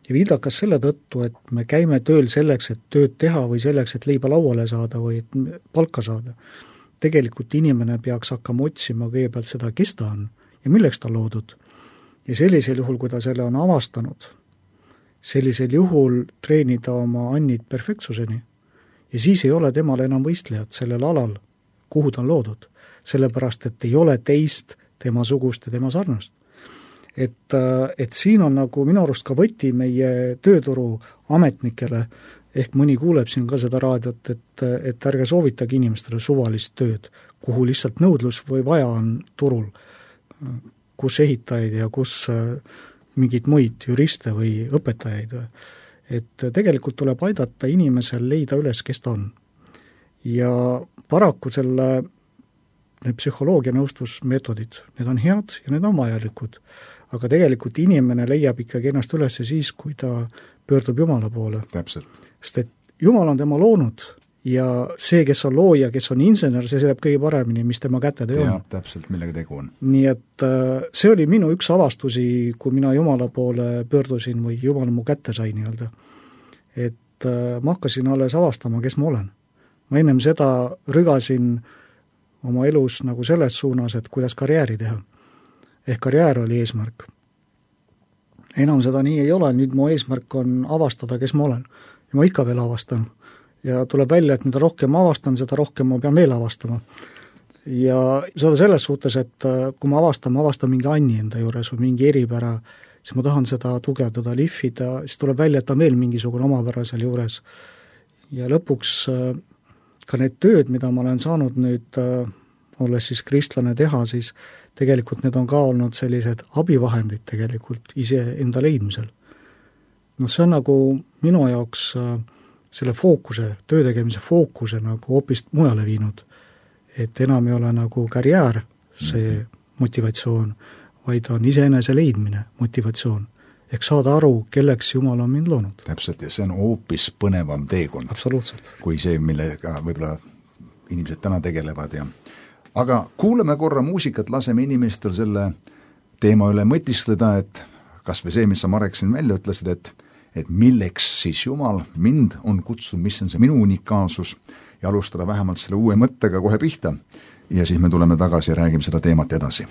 Ja vildakas selle tõttu, et me käime tööl selleks, et tööd teha või selleks, et leiba lauale saada või et palka saada. Tegelikult inimene peaks hakkama otsima kõigepealt seda, kes ta on ja milleks ta loodud. Ja sellisel juhul, kui ta selle on avastanud, sellisel juhul treenida oma annid perfektsuseni ja siis ei ole temal enam võistlejad sellel alal, kuhu ta on loodud, sellepärast, et ei ole teist tema sugust ja tema sarnast. Et siin on nagu minu arust ka võti meie tööturu ametnikele, ehk mõni kuuleb siin ka seda raadiot, et ärge soovitage inimestele suvalist tööd, kuhu lihtsalt nõudlus või vaja on turul, kus ehitajaid ja kus mingid muid juriste või õpetajaid. Et tegelikult tuleb aidata inimesel leida üles, kes ta on. Ja paraku need psühholoogia nõustusmeetodid, need on head ja need on vajalikud. Aga tegelikult inimene leiab ikkagi ennast üles siis, kui ta pöördub Jumala poole. Täpselt. Sest et Jumal on tema loonud ja see, kes on looja, kes on insener, see teab kõige paremini, mis tema käte on. Ja, täpselt, millega tegu on. Nii et see oli minu üks avastusi, kui mina Jumala poole pöördusin või Jumal mu kätte sai nii-öelda. Et ma hakkasin alles avastama, kes ma olen. Ma ennem seda rügasin oma elus nagu selles suunas, et kuidas karjääri teha. Ehk karjäär oli eesmärk. Enam seda nii ei ole, nüüd mu eesmärk on avastada, kes ma olen. Ja ma ikka veel avastan. Ja tuleb välja, et mida rohkem avastan, seda rohkem ma pean veel avastama. Ja seda selles suhtes, et kui ma avastan mingi anni enda juures või mingi eripära, siis ma tahan seda tugevdada, lihvida, siis tuleb välja, et on veel mingisugune omapära seal juures. Ja lõpuks ka need tööd, mida ma olen saanud nüüd, olles siis kristlane teha, siis tegelikult need on ka olnud sellised abivahendid tegelikult ise enda leidmisel. See on nagu minu jaoks selle fookuse, töötegemise fookuse nagu hoopis mujale viinud. Et enam ei ole nagu karjäär see motivatsioon, vaid on iseenese leidmine motivatsioon. Ehk saada aru, kelleks Jumal on mind loonud. Täpselt, ja see on hoopis põnevam teekond. Absoluutselt. Kui see, millega võib-olla inimesed täna tegelevad. Aga kuuleme korra muusikat, laseme inimestel selle teema üle mõtiskleda, et kas või see, mis sa Marek siin välja ütlesid, et milleks siis Jumal mind on kutsunud, mis on see minu unikaalsus ja alustada vähemalt selle uue mõttega kohe pihta. Ja siis me tuleme tagasi ja räägime seda teemat edasi.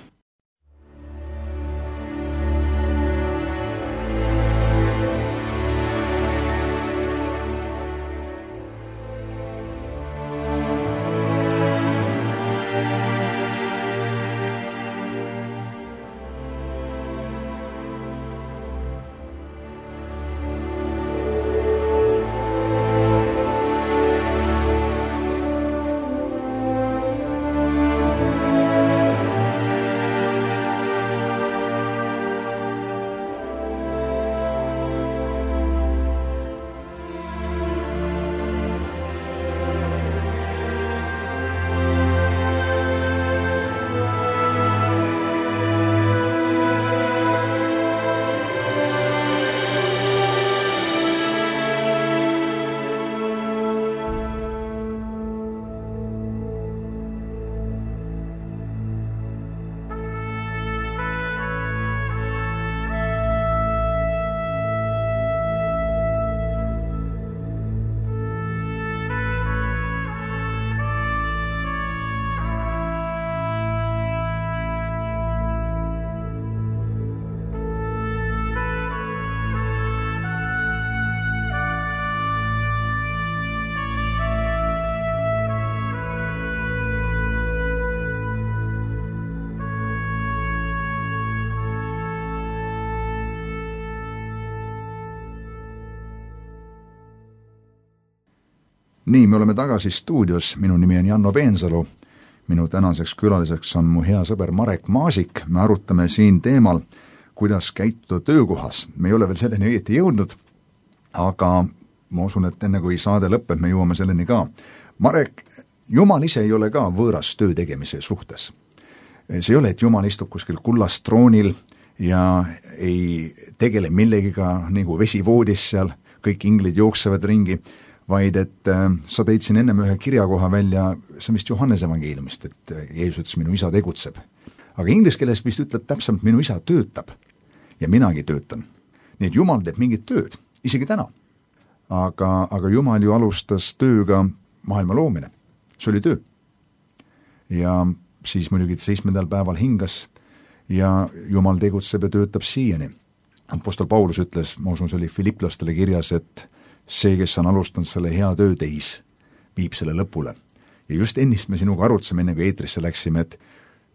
nii, me oleme tagasi stuudios, minu nimi on Janno Peensalu, minu tänaseks külaliseks on mu hea sõber Marek Maasik, me arutame siin teemal, kuidas käituda töökohas. Me ei ole veel selleni õieti jõudnud, aga ma usun, et enne kui saade lõpeb, me jõuame selleni ka. Marek, Jumal ise ei ole ka võõras töö tegemise suhtes. See ei ole, et Jumal istub kuskil kullast troonil ja ei tegele millegiga nagu vesivoodis seal, kõik inglid jooksevad ringi, vaid et sa tõid siin ennem ühe kirjakoha välja, see on vist Johannese evangeeliumist, et Jeesus ütles, minu isa tegutseb. Aga inglise keeles vist ütleb täpselt, minu isa töötab ja minagi töötan. Nii et Jumal teeb mingit tööd, isegi täna. Aga Jumal ju alustas tööga maailma loomine. See oli töö. Ja siis muidugi 7. päeval hingas ja Jumal tegutseb ja töötab siiani. Apostel Paulus ütles, ma usun, see oli Filiplastele kirjas, et see, kes on alustanud selle hea töö teis, viib selle lõpule. Ja just ennist me sinuga arutasime, enne kui eetrisse läksime, et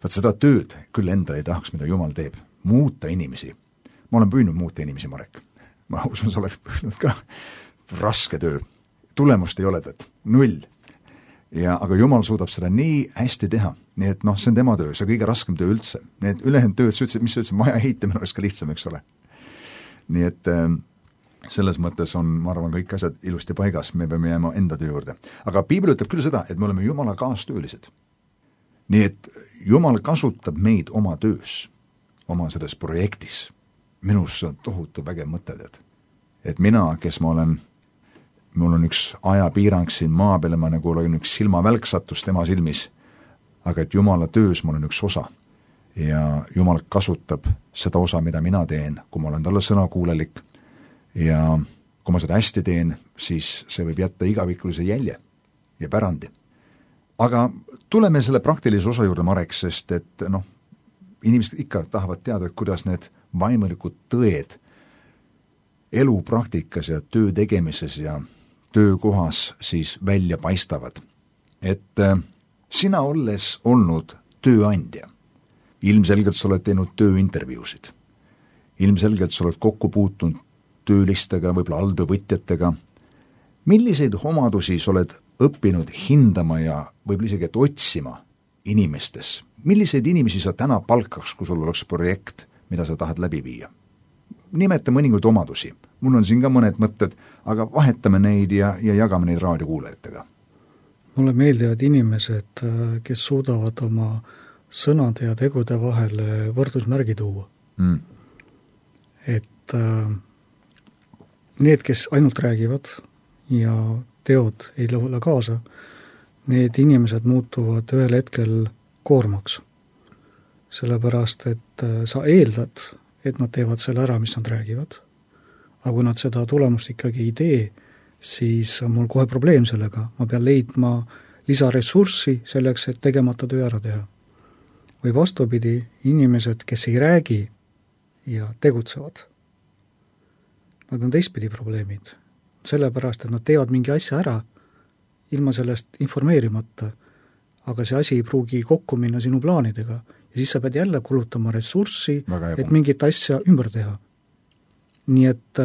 vaat seda tööd küll endale ei tahaks, mida Jumal teeb. Muuta inimesi. Ma olen püüdnud muuta inimesi, Marek. Ma usun, sa oled püüdnud ka raske töö. Tulemust ei ole tõtt. 0. Aga Jumal suudab seda nii hästi teha. Nii et see on tema töö, see on kõige raskem töö üldse. Nii et ülejäänud tööd, mis sa ütlesid, maja ehitamine oleks ka lihtsam, eks ole. Nii et selles mõttes on, ma arvan, kõik asjad ilusti paigas, me peame jääma enda töö juurde. Aga Piibel ütleb küll seda, et me oleme Jumala kaastöölised. Nii et Jumal kasutab meid oma töös, oma selles projektis. Minus on tohutu vägev mõte, et mina, kes mul on üks ajapiirang siin maa peale, ma nagu olen üks silmavälk sattus tema silmis, aga et Jumala töös mul on üks osa ja Jumal kasutab seda osa, mida mina teen, kui ma olen talle sõnakuulelik ja kui ma seda hästi teen, siis see võib jätta igavikulise jälje ja pärandi. Aga tuleme selle praktilise osa juurde, Marek, sest et inimesed ikka tahavad teada, et kuidas need vaimulikud tõed elupraktikas ja töö tegemises ja töökohas siis välja paistavad. Et sina olles olnud tööandja, ilmselgelt sa oled teinud tööintervjuusid, ilmselgelt sa oled kokku puutunud töölistega, võib-olla alltöövõtjatega. Milliseid omadusi sa oled õppinud hindama ja võib-olla isegi et otsima inimestes? Milliseid inimesi sa täna palkaks, kui sul oleks projekt, mida sa tahad läbi viia? Nimeta mõningaid omadusi. Mul on siin ka mõned mõtted, aga vahetame neid ja jagame neid raadiokuulajatega. Mulle meeldivad inimesed, kes suudavad oma sõnade ja tegude vahele võrdusmärgi tuua. Et need, kes ainult räägivad ja teod ei lõhule kaasa, need inimesed muutuvad ühel hetkel koormaks. Sellepärast, et sa eeldad, et nad teevad selle ära, mis nad räägivad. Aga kui nad seda tulemust ikkagi ei tee, siis on mul kohe probleem sellega. Ma pean leidma lisaressurssi selleks, et tegemata töö ära teha. Või vastupidi, inimesed, kes ei räägi ja tegutsevad, nad on teistpidi probleemid. Sellepärast, et nad teevad mingi asja ära, ilma sellest informeerimata, aga see asi ei pruugi kokku minna sinu plaanidega ja siis sa pead jälle kulutama ressurssi, et mingit asja ümber teha. Nii et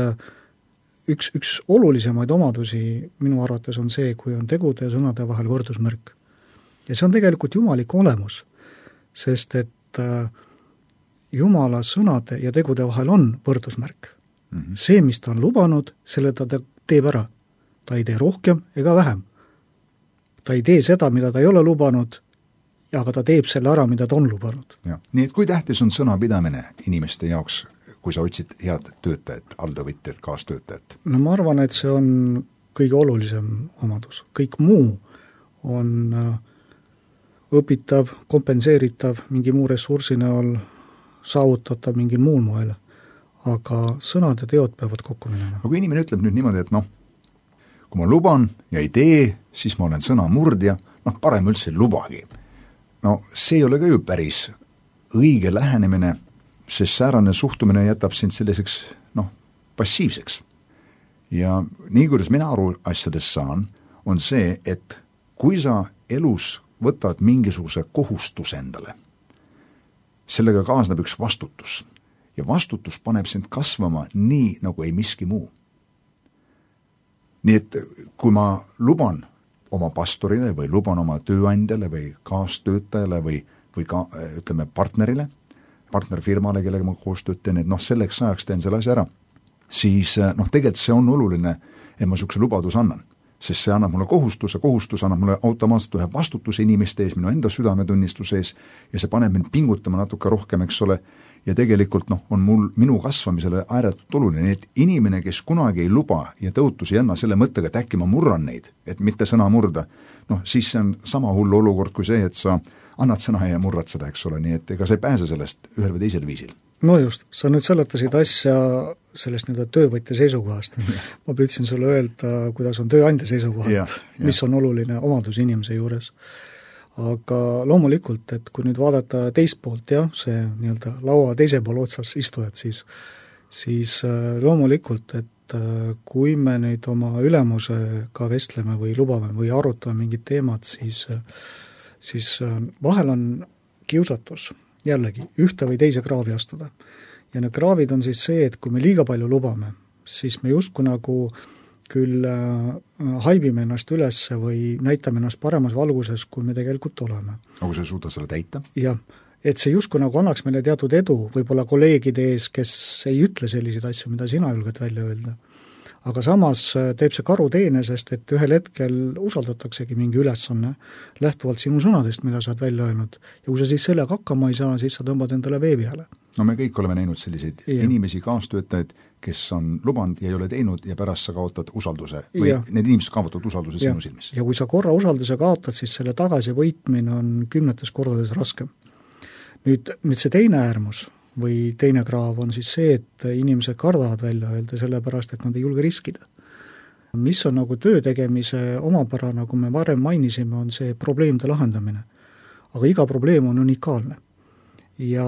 üks olulisemaid omadusi minu arvates on see, kui on tegude ja sõnade vahel võrdusmärk. Ja see on tegelikult jumalik olemus, sest et Jumala sõnade ja tegude vahel on võrdusmärk. See, mis ta on lubanud, selle ta teeb ära. Ta ei tee rohkem ega vähem. Ta ei tee seda, mida ta ei ole lubanud, aga ta teeb selle ära, mida ta on lubanud. Ja. Nii et kui tähtis on sõnapidamine inimeste jaoks, kui sa otsid head töötajat, alltöövõtjat, kaastöötajat? No ma arvan, et see on kõige olulisem omadus. Kõik muu on õpitav, kompenseeritav, mingi muu ressursi näol saavutatav mingil muul moel. Aga sõnad ja teod peavad kokku minema. Aga kui inimene ütleb nüüd niimoodi, et kui ma luban ja ei tee, siis ma olen sõnamurdja, parem üldse ei lubagi. See ei ole ka ju päris õige lähenemine, sest säärane suhtumine jätab sind selliseks, passiivseks. Ja nii, kuidas mina aru asjadest saan, on see, et kui sa elus võtad mingisuguse kohustuse endale, sellega kaasneb üks vastutus. Ja vastutus paneb sind kasvama nii, nagu ei miski muu. Nii et kui ma luban oma pastorile või luban oma tööandjale või kaastöötajale või ka ütleme partnerile, partnerfirmale, kellega ma koostööd teen, et selleks ajaks teen selle asja ära, siis tegelikult see on oluline, et ma niisuguse lubaduse annan. Sest see annab mulle kohustus annab mulle automaatselt ühe vastutuse inimeste ees, minu enda südametunnistuse ees ja see paneb mind pingutama natuke rohkem, eks ole, ja tegelikult on minu kasvamisele ääretult oluline, et inimene, kes kunagi ei luba ja tõotusi ei anna selle mõttega, et äkki ma murran neid, et mitte sõna murda, siis see on sama hull olukord kui see, et sa annad sõna ja murrad seda, eks ole, nii et ega sa ei pääse sellest ühel või teisel viisil. No just, sa nüüd seletasid asja sellest töövõtja seisukohast. Ma püüdsin sulle öelda, kuidas on tööandja seisukohalt, mis on oluline omadus inimese juures. Aga loomulikult, et kui nüüd vaadata teist poolt, see laua teise pool otsas istujad, siis loomulikult, et kui me nüüd oma ülemusega vestleme või lubame või arutame mingid teemad, siis vahel on kiusatus jällegi ühte või teise kraavi astuda. Ja need kraavid on siis see, et kui me liiga palju lubame, siis me justkui nagu küll haibime ennast üles või näitame ennast paremas valguses, kui me tegelikult oleme. Aga sa ei suuda selle täita? Jah, et see justkui nagu annaks meile teatud edu, võib-olla kolleegide ees, kes ei ütle selliseid asju, mida sina julged välja öelda. Aga samas teeb see karuteene, sest et ühel hetkel usaldataksegi mingi ülesanne lähtuvalt sinu sõnadest, mida sa oled välja öelnud. Ja kui sa siis sellega hakkama ei saa, siis sa tõmbad endale vee peale. Me kõik oleme näinud selliseid inimesi, kaastöötajaid, kes on lubanud ja ei ole teinud ja pärast sa kaotad usalduse või need inimesed kaotavad usalduse sinu silmis. Ja kui sa korra usalduse kaotad, siis selle tagasi võitmine on 10 kordades raskem. Nüüd see teine äärmus või teine kraav on siis see, et inimesed kardavad välja öelda sellepärast, et nad ei julge riskida. Mis on nagu töö tegemise omapära, nagu me varem mainisime, on see probleemide lahendamine. Aga iga probleem on unikaalne. Ja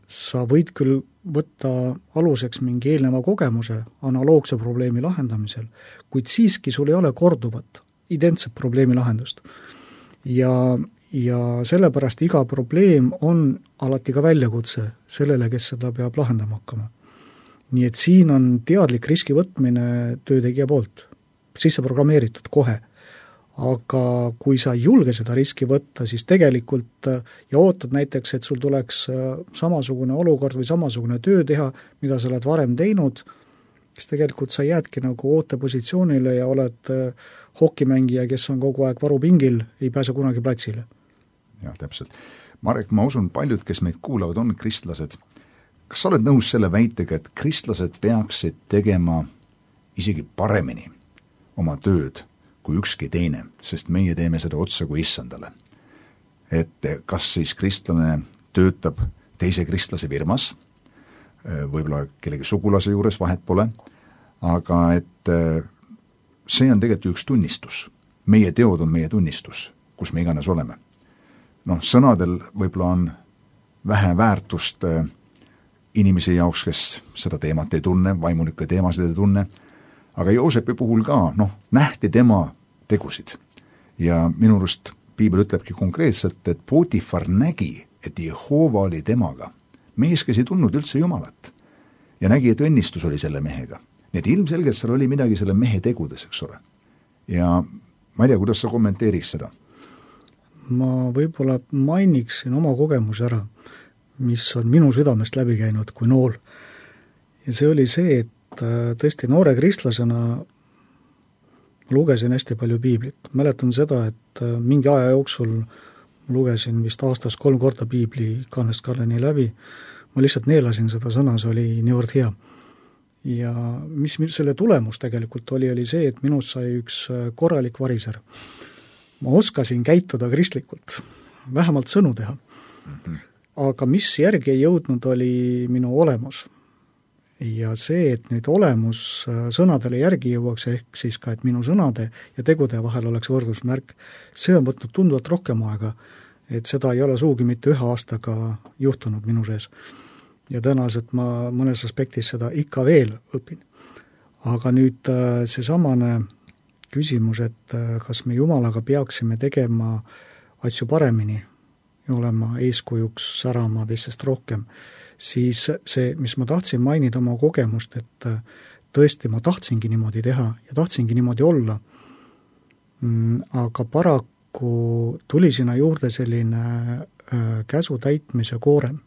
sa võid küll võtta aluseks mingi eelneva kogemuse analoogse probleemi lahendamisel, kuid siiski sul ei ole korduvat, identset probleemi lahendust. Ja sellepärast iga probleem on alati ka väljakutse sellele, kes seda peab lahendama hakkama. Nii et siin on teadlik riski võtmine töötegija poolt, sisse programmeeritud kohe. Aga kui sa ei julge seda riski võtta, siis tegelikult ja ootad näiteks, et sul tuleks samasugune olukord või samasugune töö teha, mida sa oled varem teinud, siis tegelikult sa jäädki nagu ootepositsioonile ja oled hokimängija, kes on kogu aeg varupingil, ei pääse kunagi platsile. Jah, täpselt. Marek, ma usun, paljud, kes meid kuulavad, on kristlased. Kas sa oled nõus selle väitega, et kristlased peaksid tegema isegi paremini oma tööd kui ükski teine, sest meie teeme seda otsa kui issandale? Et kas siis kristlane töötab teise kristlase firmas, võib-olla kellegi sugulase juures, vahet pole, aga et see on tegelikult üks tunnistus. Meie teod on meie tunnistus, kus me iganes oleme. Sõnadel võib-olla on vähe väärtust inimese jaoks, kes seda teemat ei tunne, vaimulikke teemasid ei tunne, aga Joosepi puhul ka, nähti tema tegusid. Ja minu arust Piibel ütlebki konkreetselt, et Potifar nägi, et Jehova oli temaga. Mees, kes ei tundnud üldse Jumalat ja nägi, et õnnistus oli selle mehega. Nii et ilmselgelt seal oli midagi selle mehe tegudes, eks ole. Ja ma ei tea, kuidas sa kommenteeriks seda? Ma võib-olla mainiksin oma kogemus ära, mis on minu südamest läbi käinud kui nool. Ja see oli see, et tõesti noore kristlasena lugesin hästi palju piiblit. Mäletan seda, et mingi aja jooksul lugesin vist aastas 3 korda piibli kannest kalleni läbi. Ma lihtsalt neelasin seda sõna, see oli niivõrd hea. Ja mis selle tulemus tegelikult oli see, et minust sai üks korralik variser. Ma oskasin käituda kristlikult, vähemalt sõnu teha. Aga mis järgi ei jõudnud, oli minu olemus. Ja see, et nüüd olemus sõnadele järgi jõuaks, ehk siis ka, et minu sõnade ja tegude vahel oleks võrdusmärk, see on võtnud tunduvalt rohkem aega, et seda ei ole suugi mitte 1 aastaga juhtunud minu sees. Ja tõenäoliselt ma mõnes aspektis seda ikka veel õpin. Aga nüüd see samane küsimus, et kas me Jumalaga peaksime tegema asju paremini ja olema eeskujuks särama teistest rohkem, siis see, mis ma tahtsin mainida oma kogemust, et tõesti ma tahtsingi niimoodi teha ja tahtsingi niimoodi olla, aga paraku tuli sinna juurde selline käsu täitmise koorem.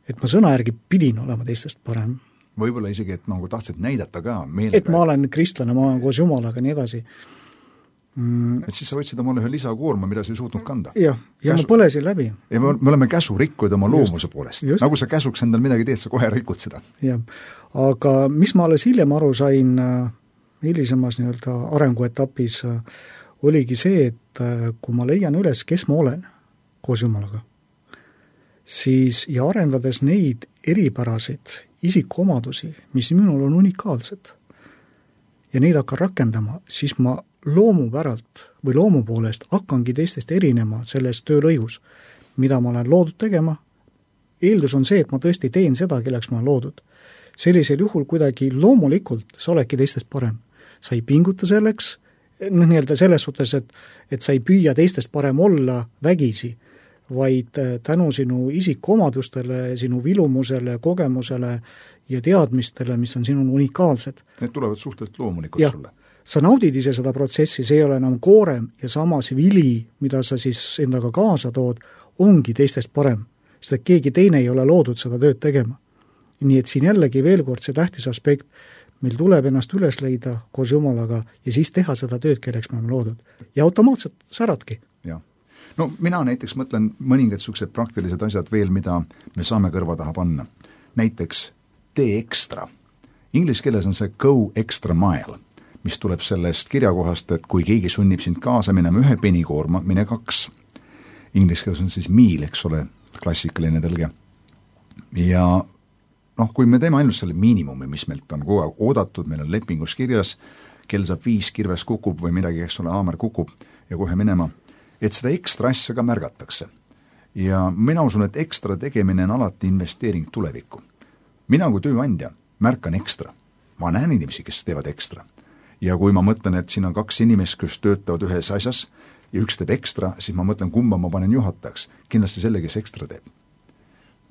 Et ma sõna järgi pidin olema teistest parem. Võib-olla isegi, et nagu tahtsid näidata ka meelega. Et ma olen kristlane, ma olen koos Jumalaga, nii edasi. Et siis sa võtsid omale ühe lisakoorma, mida sa ei suutnud kanda. Ja ma põlesin läbi. Ja me oleme käsu rikkuid oma loomuse poolest. Nagu sa käsuks endal midagi teed, sa kohe rikud seda. Jah, aga mis ma alles hiljem aru sain hilisemas nii-öelda arenguetapis, oligi see, et kui ma leian üles, kes ma olen koos Jumalaga, siis ja arendades neid eripärasid isikuomadusi, mis minul on unikaalsed, ja neid hakkan rakendama, siis ma loomupäralt või loomu poolest hakkangi teistest erinema selles töölõigus, mida ma olen loodud tegema. Eeldus on see, et ma tõesti teen seda, kelleks ma olen loodud. Sellisel juhul kuidagi loomulikult sa oledki teistest parem. Sa ei pinguta selleks, nii-öelda selles suhtes, et sa ei püüa teistest parem olla vägisi, vaid tänu sinu isikuomadustele, sinu vilumusele, kogemusele ja teadmistele, mis on sinul unikaalsed. Need tulevad suhteliselt loomulikult sulle. Sa naudid ise seda protsessi, see ei ole enam koorem ja samas vili, mida sa siis endaga kaasa tood, ongi teistest parem, sest et keegi teine ei ole loodud seda tööd tegema. Nii et siin jällegi veel kord see tähtis aspekt, meil tuleb ennast üles leida koos Jumalaga ja siis teha seda tööd, kelleks me oleme loodud. Ja automaatselt säradki. Ja. No mina näiteks mõtlen mõningad suksed praktilised asjad veel, mida me saame kõrva taha panna. Näiteks tee ekstra. Inglise keeles on see go extra mile, mis tuleb sellest kirjakohast, et kui keegi sunnib sind kaasa minema 1 penikoorma, mine 2. Inglise keeles on siis miil, eks ole, klassikaline tõlge. Ja kui me teeme ainult selle miinimumi, mis meilt on kogu aeg oodatud, meil on lepingus kirjas, kell saab 5, kirves kukub või midagi, eks ole, haamer kukub ja kohe minema, et seda ekstra asja ka märgatakse. Ja mina usun, et ekstra tegemine on alati investeering tulevikku. Mina kui tööandja märkan ekstra. Ma näen inimesi, kes teevad ekstra. Ja kui ma mõtlen, et siin on 2 inimest, kes töötavad ühes asjas ja üks teeb ekstra, siis ma mõtlen, kumba ma panen juhatajaks. Kindlasti selle, kes ekstra teeb.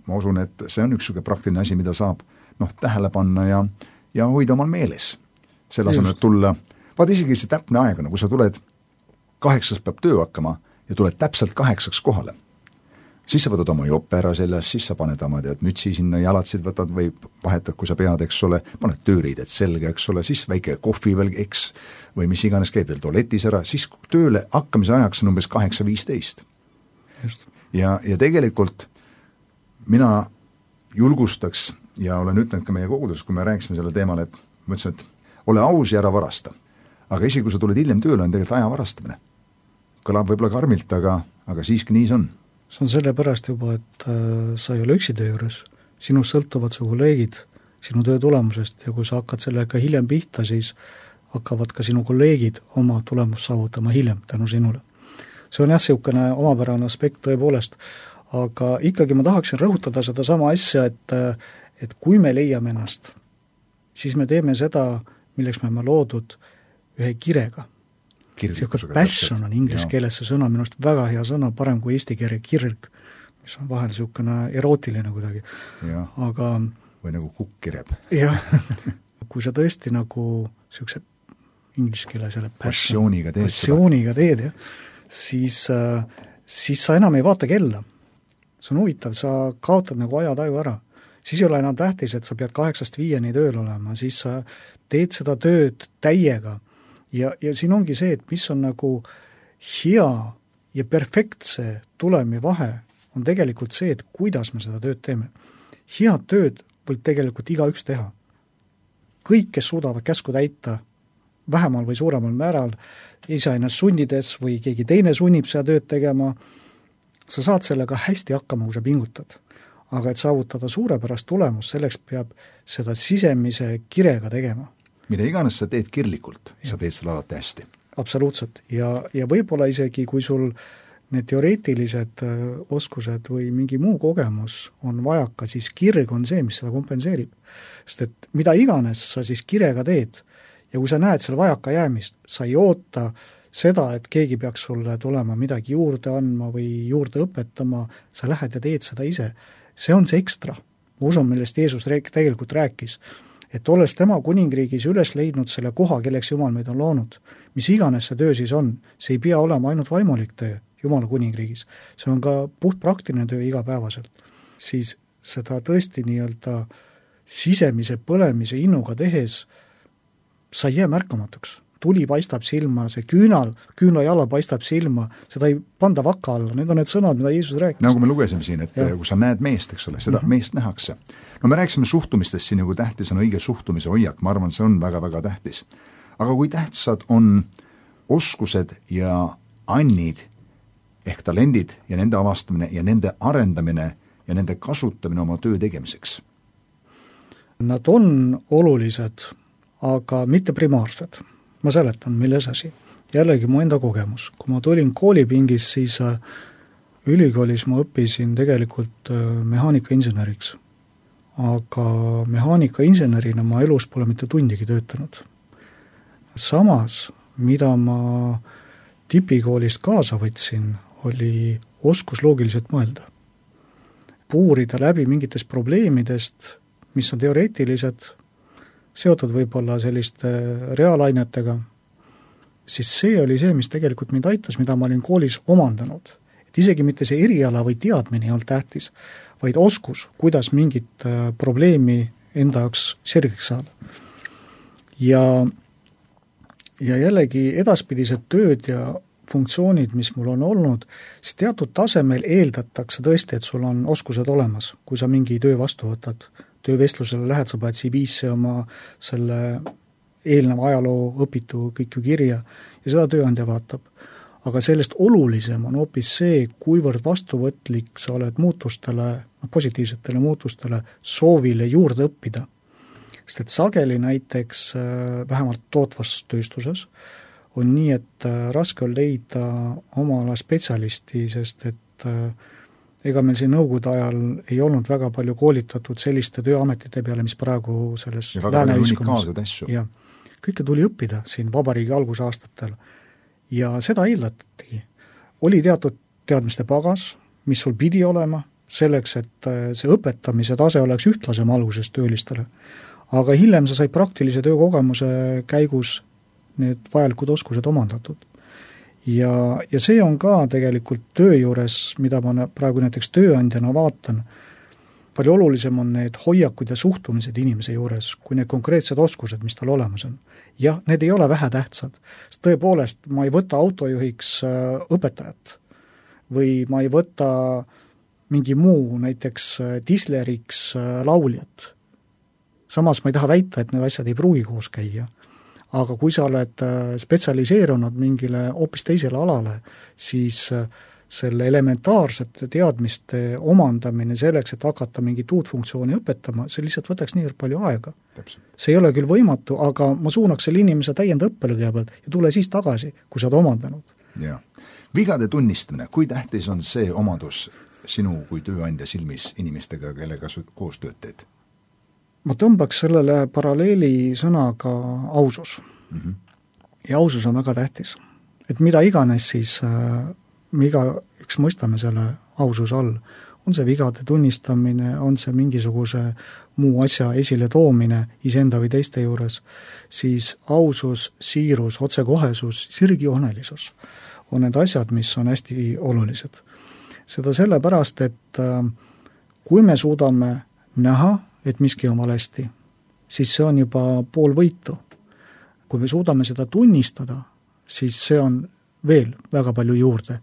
Ma usun, et see on üks praktiline asi, mida saab tähele panna ja hoida omal meeles. Selle asemel, et tulla, vaat isegi see täpne aeg, kui sa tuled 8 peab töö hakkama ja tuled täpselt 8 kohale. Siis sa võtad oma jope ära selles, siis sa paned oma mütsi sinna, jalatsid võtad või vahetad, kui sa pead, eks ole, paned tööriided selge, eks ole, siis väike kohvi veel, eks, või mis iganes käib veel tualetis ära, siis tööle hakkamise ajaks on umbes 8:15. Ja tegelikult mina julgustaks ja olen ütlenud ka meie koguduses, kui me rääkisime selle teemal, et ma ütlesin, et ole aus ja ära varasta. Aga isegi kui sa tuled hiljem tööle, on tegelikult aja varastamine. Kõlab võib-olla karmilt, aga siiski nii see on. See on selle pärast juba, et sa ei ole üksi töö juures. Sinust sõltuvad su kolleegid sinu töö tulemusest ja kui sa hakkad sellega hiljem pihta, siis hakkavad ka sinu kolleegid oma tulemust saavutama hiljem tänu sinule. See on niisugune omapärane aspekt tõepoolest, aga ikkagi ma tahaksin rõhutada seda sama asja, et kui me leiame ennast, siis me teeme seda, milleks me oleme loodud ühe kirega. Siuke passion on inglise keeles see sõna, minust väga hea sõna, parem kui eesti keele kirg, mis on vahel siukene erootiline kuidagi. Aga või nagu kukkireb. Jah, kui sa tõesti nagu siukse inglise keele selle passiooniga teed, siis sa enam ei vaata kella. See on huvitav, sa kaotad nagu ajataju ära. Siis ei ole enam tähtis, et sa pead 8-5 tööl olema, siis sa teed seda tööd täiega. Ja siin ongi see, et mis on nagu hea ja perfektse tulemi vahe, on tegelikult see, et kuidas me seda tööd teeme. Head tööd võib tegelikult igaüks teha. Kõik, kes suudavad käsku täita, vähemal või suuremal määral, ise ennast sunnides või keegi teine sunnib seda tööd tegema, sa saad sellega hästi hakkama, kui sa pingutad. Aga et saavutada suurepärast tulemus, selleks peab seda sisemise kirega tegema. Mida iganes sa teed kirlikult, sa teed seda alati hästi. Absoluutselt. Ja võib-olla isegi, kui sul need teoreetilised oskused või mingi muu kogemus on vajaka, siis kirg on see, mis seda kompenseerib. Sest et mida iganes sa siis kirega teed ja kui sa näed selle vajaka jäämist, sa ei oota seda, et keegi peaks sulle tulema midagi juurde andma või juurde õpetama, sa lähed ja teed seda ise. See on see ekstra. Ma usun, millest Jeesus tegelikult rääkis, et olles tema kuningriigis üles leidnud selle koha, kelleks Jumal meid on loonud, mis iganes see töö siis on, see ei pea olema ainult vaimulik töö Jumala kuningriigis, see on ka puhtpraktiline töö igapäevaselt, siis seda tõesti nii-öelda sisemise põlemise innuga tehes sa ei jää märkamatuks. Tuli paistab silma, see küünlajala paistab silma, seda ei panda vaka alla, need on need sõnad, mida Jeesus rääkis. Nagu me lugesime siin, et kui sa näed meest, eks ole, seda meest nähakse. No me rääkisime suhtumistest siin, kui tähtis on õige suhtumise hoiak, ma arvan, see on väga-väga tähtis. Aga kui tähtsad on oskused ja annid ehk talendid ja nende avastamine ja nende arendamine ja nende kasutamine oma töö tegemiseks? Nad on olulised, aga mitte primaarsed. Ma seletan, milles asi. Jällegi mu enda kogemus. Kui ma tulin koolipingis, siis ülikoolis ma õppisin tegelikult mehaanikainseneriks. Aga mehaanikainsenerina ma elus pole mitte tundigi töötanud. Samas, mida ma tipikoolist kaasa võtsin, oli oskus loogiliselt mõelda. Puurida läbi mingitest probleemidest, mis on teoreetilised, seotud võib-olla selliste reaalainetega, siis see oli see, mis tegelikult mind aitas, mida ma olin koolis omandanud. Et isegi mitte see eriala või teadmine ei olnud tähtis, vaid oskus, kuidas mingit probleemi enda jaoks selgeks saada. Ja jällegi edaspidised tööd ja funktsioonid, mis mul on olnud, siis teatud tasemel eeldatakse tõesti, et sul on oskused olemas, kui sa mingi töö vastu võtad. Töövestlusele lähed, sa paned CV-sse oma selle eelneva ajaloo õpitu kõik ju kirja ja seda tööandja vaatab. Aga sellest olulisem on hoopis see, kuivõrd vastuvõtlik sa oled muutustele, positiivsetele muutustele, soovile juurde õppida. Sest et sageli näiteks vähemalt tootvas tööstuses on nii, et raske on leida oma ala spetsialisti, sest et ega meil siin nõukogude ajal ei olnud väga palju koolitatud selliste tööametite peale, mis praegu selles lääneühiskonnas. Ja kõike tuli õppida siin vabariigi algusaastatel ja seda eeldatigi. Oli teatud teadmiste pagas, mis sul pidi olema, selleks, et see õpetamise tase oleks ühtlasem alguses töölistele. Aga hiljem sa said praktilise töökogemuse käigus need vajalikud oskused omandatud. Ja see on ka tegelikult töö juures, mida ma praegu näiteks tööandjana vaatan, palju olulisem on need hoiakud ja suhtumised inimese juures, kui need konkreetsed oskused, mis tal olemas on. Jah, need ei ole vähetähtsad. Tõepoolest, ma ei võta autojuhiks õpetajat või ma ei võta mingi muu, näiteks disleriks lauljat. Samas ma ei taha väita, et need asjad ei pruugi koos käia. Aga kui sa oled spetsialiseerunud mingile hoopis teisele alale, siis selle elementaarsete teadmiste omandamine selleks, et hakata mingit uut funktsiooni õpetama, see lihtsalt võtaks nii palju aega. Täpselt. See ei ole küll võimatu, aga ma suunaks selle inimese täienda õppele kõigepealt ja tule siis tagasi, kui sa oled omandanud. Ja. Vigade tunnistamine, kui tähtis on see omadus sinu kui tööandja silmis inimestega, kellega koos tööd teed? Ma tõmbaks sellele paralleeli sõnaga ausus. Ja ausus on väga tähtis. Et mida iganes siis, iga üks mõistame selle aususe all, on see vigade tunnistamine, on see mingisuguse muu asja esile toomine iseenda või teiste juures, siis ausus, siirus, otsekohesus, sirgjoonelisus on need asjad, mis on hästi olulised. Seda sellepärast, et kui me suudame näha, et miski on valesti, siis see on juba pool võitu. Kui me suudame seda tunnistada, siis see on veel väga palju juurde.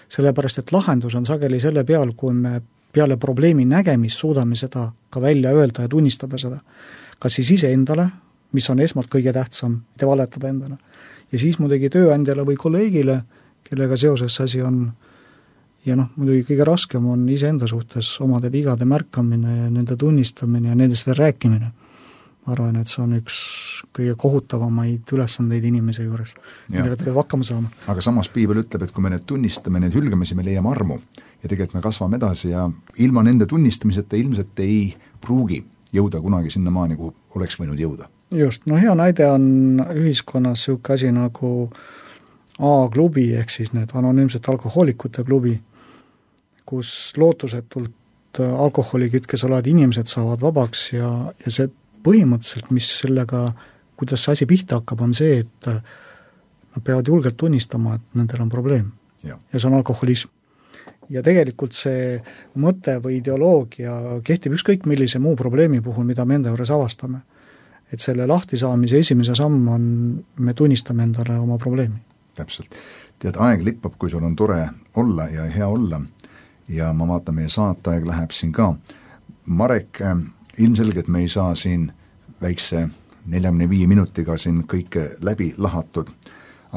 Sellepärast, et lahendus on sageli selle peal, kui me peale probleemi nägemist suudame seda ka välja öelda ja tunnistada seda. Kas siis iseendale, mis on esmalt kõige tähtsam, mitte valetada endale. Ja siis muidugi tööandjale või kolleegile, kellega seoses asi on. Ja muidugi kõige raskem on iseenda suhtes omade vigade märkamine ja nende tunnistamine ja nendest veel rääkimine. Ma arvan, et see on üks kõige kohutavamaid ülesandeid inimese juures, millega ta peab hakkama saama. Aga samas Piibel ütleb, et kui me need tunnistame, need hülgame, siis me leiame armu ja tegelikult me kasvame edasi ja ilma nende tunnistamiseta ilmselt ei pruugi jõuda kunagi sinna maani, kuhu oleks võinud jõuda. Just, hea näide on ühiskonnas selline asi nagu A-klubi ehk siis need anonüümsed alkohoolikute klubi, kus lootusetult alkoholikütkes olevad inimesed saavad vabaks ja see põhimõtteliselt, mis sellega, kuidas see asi pihta hakkab, on see, et nad peavad julgelt tunnistama, et nendel on probleem. Ja see on alkoholism. Ja tegelikult see mõte või ideoloogia kehtib ükskõik millise muu probleemi puhul, mida me enda juures avastame. Et selle lahtisaamise esimese samm on, me tunnistame endale oma probleemi. Täpselt. Tead, aeg lippab, kui sul on tore olla ja hea olla ja ma vaatan, meie saateaeg läheb siin ka. Marek, ilmselgelt me ei saa siin väikse 45 minutiga siin kõike läbi lahatud,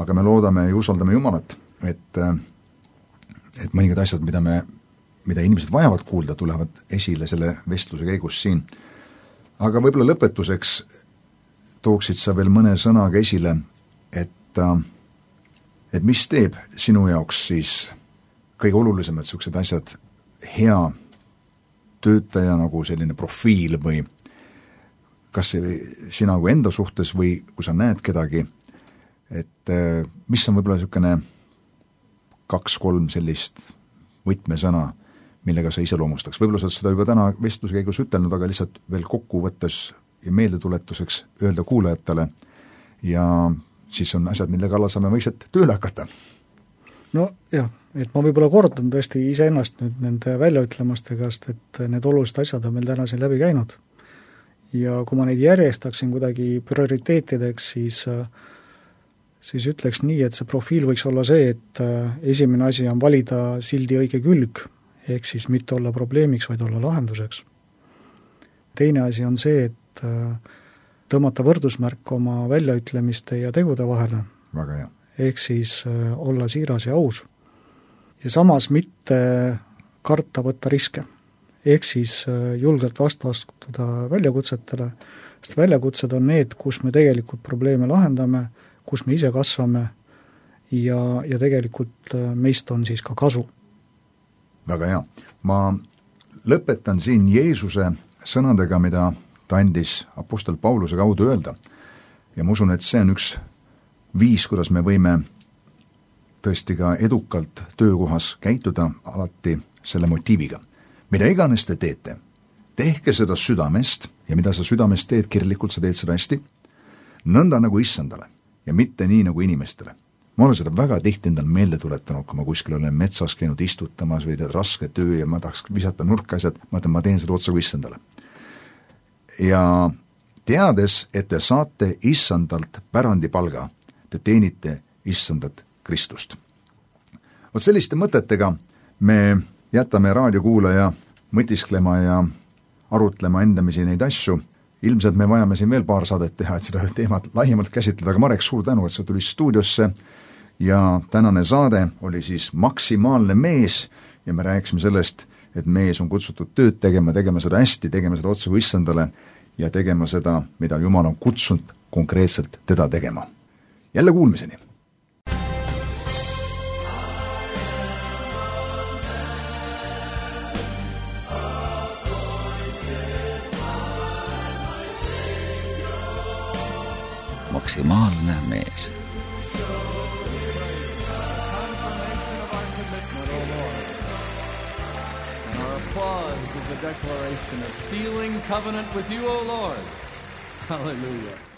aga me loodame ja usaldame Jumalat, et mõningad asjad, mida inimesed vajavad kuulda, tulevad esile selle vestluse käigus siin. Aga võib-olla lõpetuseks tooksid sa veel mõne sõnaga esile, et mis teeb sinu jaoks siis kõige olulisemad sellised asjad hea töötaja nagu selline profiil või kas sina kui enda suhtes või kui sa näed kedagi, et mis on võib-olla selline 2-3 sellist võtmesõna, millega sa iseloomustaks. Võib-olla sa oled seda juba täna vestluse käigus ütelnud, aga lihtsalt veel kokkuvõttes ja meeldetuletuseks öelda kuulajatele ja siis on asjad, mille kallal saame vaikselt tööle hakata. No jah, et ma võib-olla kordan tõesti iseennast nüüd nende väljaütlemastega, et need olulised asjad on meil täna siin läbi käinud. Ja kui ma neid järjestaksin kuidagi prioriteetideks, siis ütleks nii, et see profiil võiks olla see, et esimene asi on valida sildi õige külg, ehk siis mitte olla probleemiks, vaid olla lahenduseks. Teine asi on see, et tõmmata võrdusmärk oma väljaütlemiste ja tegude vahele. Väga hea. Ehk siis olla siiras ja aus. Ja samas mitte karta võtta riske. Ehk siis julgelt vastuastuda väljakutsetele, sest väljakutsed on need, kus me tegelikult probleeme lahendame, kus me ise kasvame ja tegelikult meist on siis ka kasu. Väga hea. Ma lõpetan siin Jeesuse sõnadega, mida ta andis apostel Pauluse kaudu öelda. Ja ma usun, et see on üks viis, kuidas me võime tõesti ka edukalt töökohas käituda alati selle motiiviga. Mida iganes te teete, tehke seda südamest ja mida sa südamest teed, kirjalikult sa teed seda hästi, nõnda nagu issandale ja mitte nii nagu inimestele. Ma olen seda väga tihti endal meelde tuletanud, kui ma kuskil olen metsas käinud istutamas või teed raske töö ja ma tahaks visata nurka asjad, ma teen seda otsa kui issandale. Ja teades, et te saate issandalt pärandipalga, te teenite issandat Kristust. Vot selliste mõtetega me jätame raadiokuulaja mõtisklema ja arutlema endamisi neid asju. Ilmselt me vajame siin veel paar saadet teha, et seda teemat laiemalt käsitleda, aga Marek, suur tänu, et sa tuli stuudiosse ja tänane saade oli siis maksimaalne mees ja me rääkisime sellest, et mees on kutsutud tööd tegema seda hästi, tegema seda otsa kui issandale ja tegema seda, mida Jumal on kutsunud konkreetselt teda tegema. Jälle kuulmiseni! Maksimaalne mees. Applause is a declaration of sealing covenant with you, O Lord. Hallelujah.